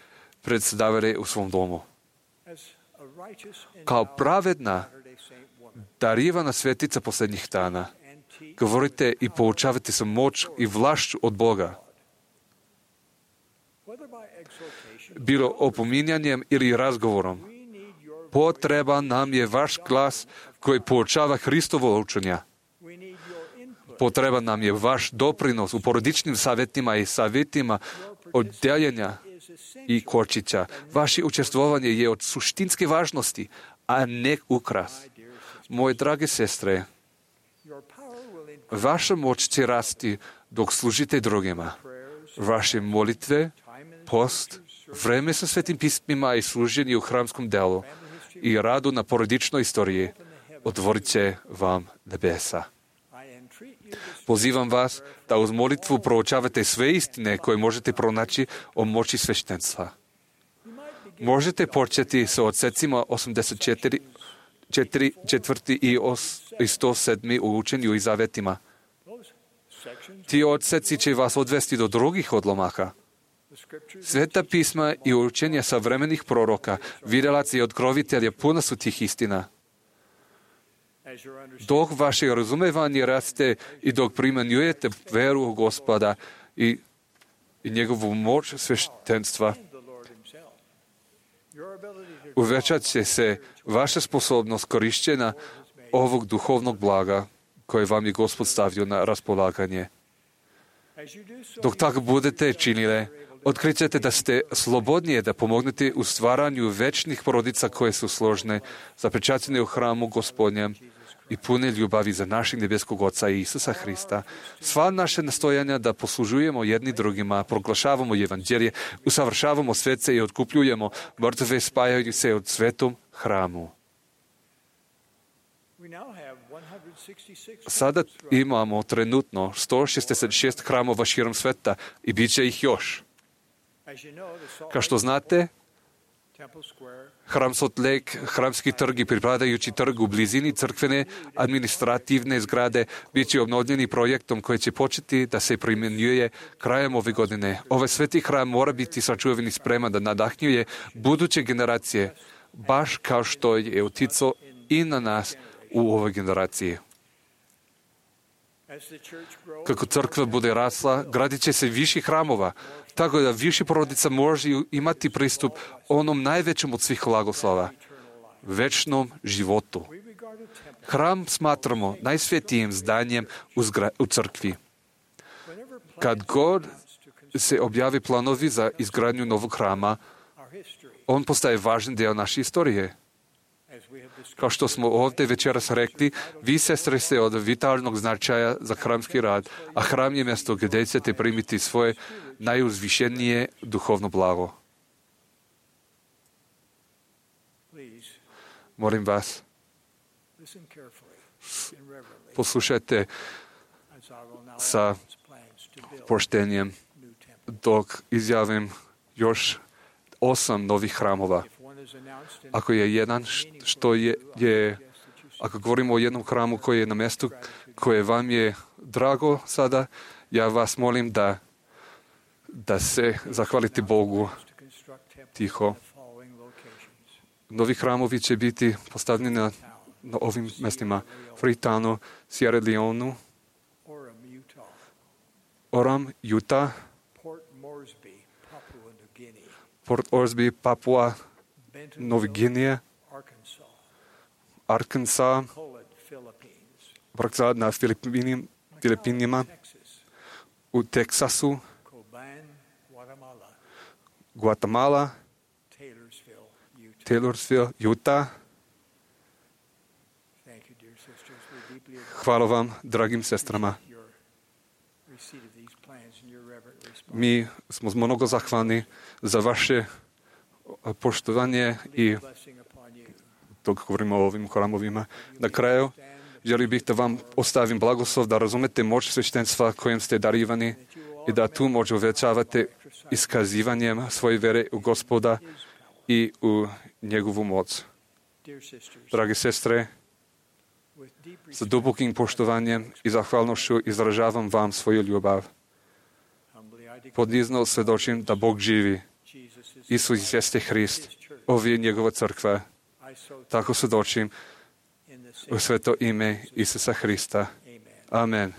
predstavili u svom domu. Kao pravedna, darivana svetica posljednjih dana, govorite i poučavate sa moć i vlašću od Boga. Bilo opominjanjem ili razgovorom, potreban nam je vaš glas koji poučava Hristovo učenja. Potreban nam je vaš doprinos u porodičnim savjetima i savjetima oddeljenja i Korčića. Vaše učestvovanje je od suštinske važnosti, a ne ukras. Moje drage sestre, vaša moć će rasti dok služite drugima. Vaše molitve, post, vreme sa svetim pismima i služenje u hramskom delu i radu na porodičnoj istoriji otvorit će vam nebesa. Pozivam vas da uz molitvu proučavate sve istine koje možete pronaći o moći sveštenstva. Možete početi sa odsecima 84, 4 i 107 u učenju i zavetima. Ti odseci će vas odvesti do drugih odlomaka. Sveta pisma i učenja savremenih proroka, vidjelaca i otkrovitelja puna su tih istina. Dok vaše razumevanje raste i dok primjenjujete veru u Gospoda i njegovu moć sveštenstva, uvećat će se vaša sposobnost korišćenja ovog duhovnog blaga koje vam je Gospod stavio na raspolaganje. Dok tako budete činile, otkrićete da ste slobodnije da pomognete u stvaranju večnih porodica koje su složne, zapečaćene u hramu Gospodnjem i pune ljubavi za našeg nebeskog Oca i Isusa Hrista. Sva naše nastojanja da poslužujemo jedni drugima, proglašavamo evanđelje, usavršavamo svece i otkupljujemo mrtve spajajući se od svetom hramu. Sada imamo trenutno 166 hramova širom sveta i bit će ih još. Kao što znate, hram Salt Lake, hramski trg i pripadajući trg u blizini crkvene administrativne zgrade bit će obnovljeni projektom koji će početi da se primjenjuje krajem ove godine. Ovaj sveti hram mora biti sačuvan i spreman da nadahnjuje buduće generacije, baš kao što je uticao i na nas u ovoj generaciji. Kako crkva bude rasla, gradit će se više hramova, tako da više porodica može imati pristup onom najvećem od svih blagoslova, večnom životu. Hram smatramo najsvetijim zdanjem u crkvi. Kad god se objavi planovi za izgradnju novog hrama, on postaje važan dio naše istorije. Kao što smo ovdje večeras rekli, vi, sestre, ste od vitalnog značaja za hramski rad, a hram je mjesto gdje ćete primiti svoje najuzvišenije duhovno blago. Molim vas, poslušajte sa poštenjem dok izjavim još 8 novih hramova. Ako je jedan što je ako govorimo o jednom hramu koji je na mjestu koje vam je drago sada, ja vas molim da se zahvalite Bogu tiho. Novi hramovi će biti postavljeni na ovim mjestima: Freetownu, Sierra Leoneu, Orem, Utah, Port Moresby, Papua, Novi Gvineja, Arkansas, Vrkzad na Filipinima, u Teksasu, Guatemala, Taylorsville, Utah. Hvala vam, dragim sestrama. Mi smo mnogo zahvalni za vaše poštovanje i dok govorimo o ovim hramovima. Na kraju, želio bih da vam ostavim blagoslov da razumete moć sveštenstva kojim ste darivani i da tu moć uvećavate iskazivanjem svoje vere u Gospoda i u njegovu moć. Drage sestre, sa dubokim poštovanjem i zahvalnošću izražavam vam svoju ljubav. Podizno svjedočim da Bog živi. Isus jeste Hrist, ovo je njegova crkva. Tako svjedočim u sveto ime Isusa Hrista. Amen.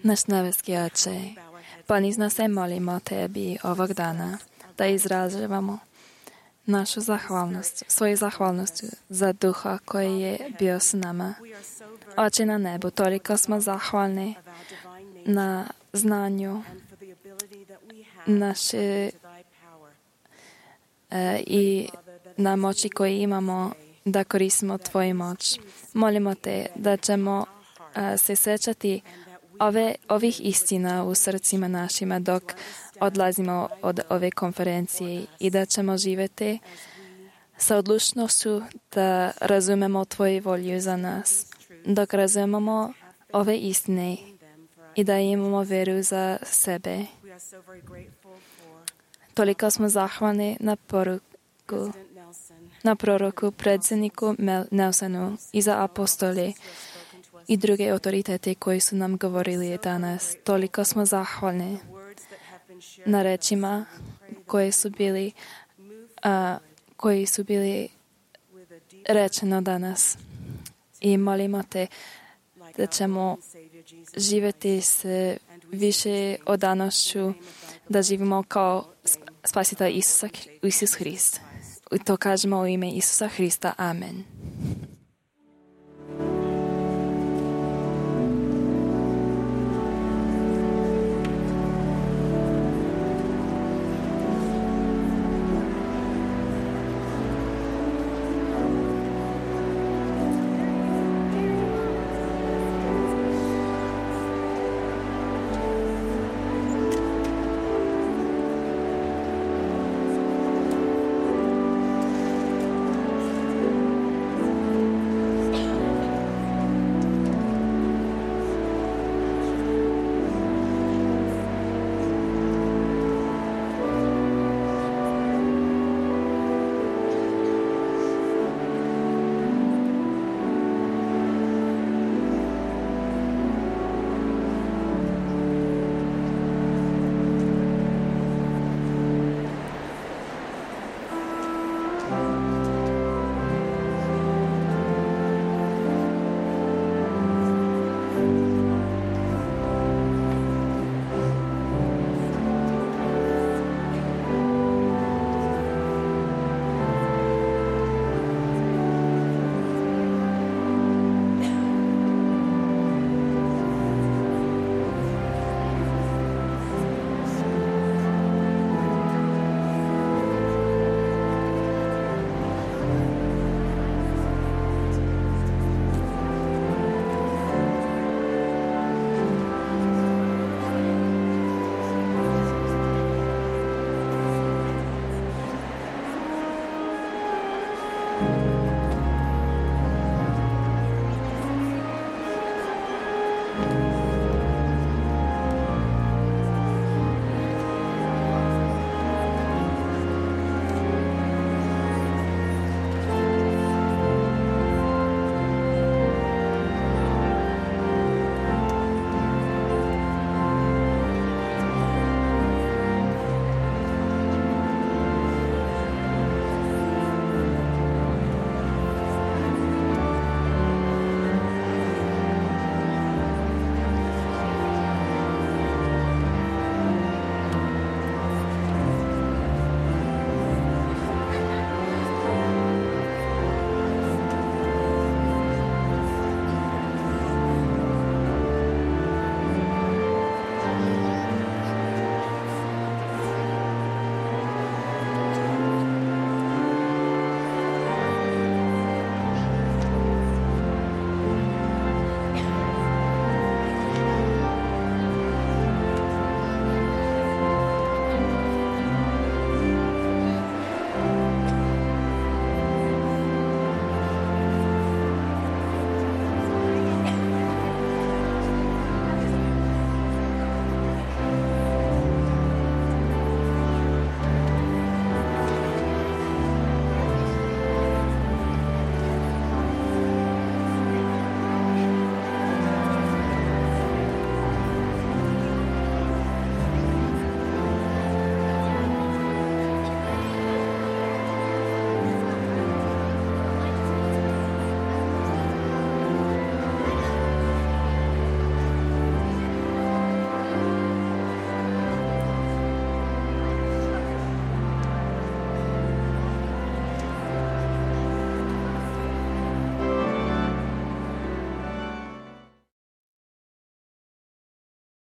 Naš nebeski Oče, ponizno se molimo Tebi ovog dana da izražavamo našu zahvalnost, svoju zahvalnost za Duha koji je bio s nama. Oče na nebu, toliko smo zahvalni na znanju naše i na moći koju imamo da koristimo Tvoju moć. Molimo Te da ćemo se sećati ovih istina u srcima našima dok odlazimo od ove konferencije i da ćemo živjeti sa odlučnošću da razumemo Tvoju volju za nas, dok razumemo ove istine i da imamo veru za sebe. Toliko smo zahvalni na proroku, predsjedniku Nelsonu i za apostole i druge autoritete koji su nam govorili danas. Toliko smo zahvalni na rečima koji su bili rečeno danas. I molimo Te da ćemo živjeti s više odanošću, da živimo kao spasitelj Isus Hrist. I to kažemo u ime Isusa Hrista. Amen.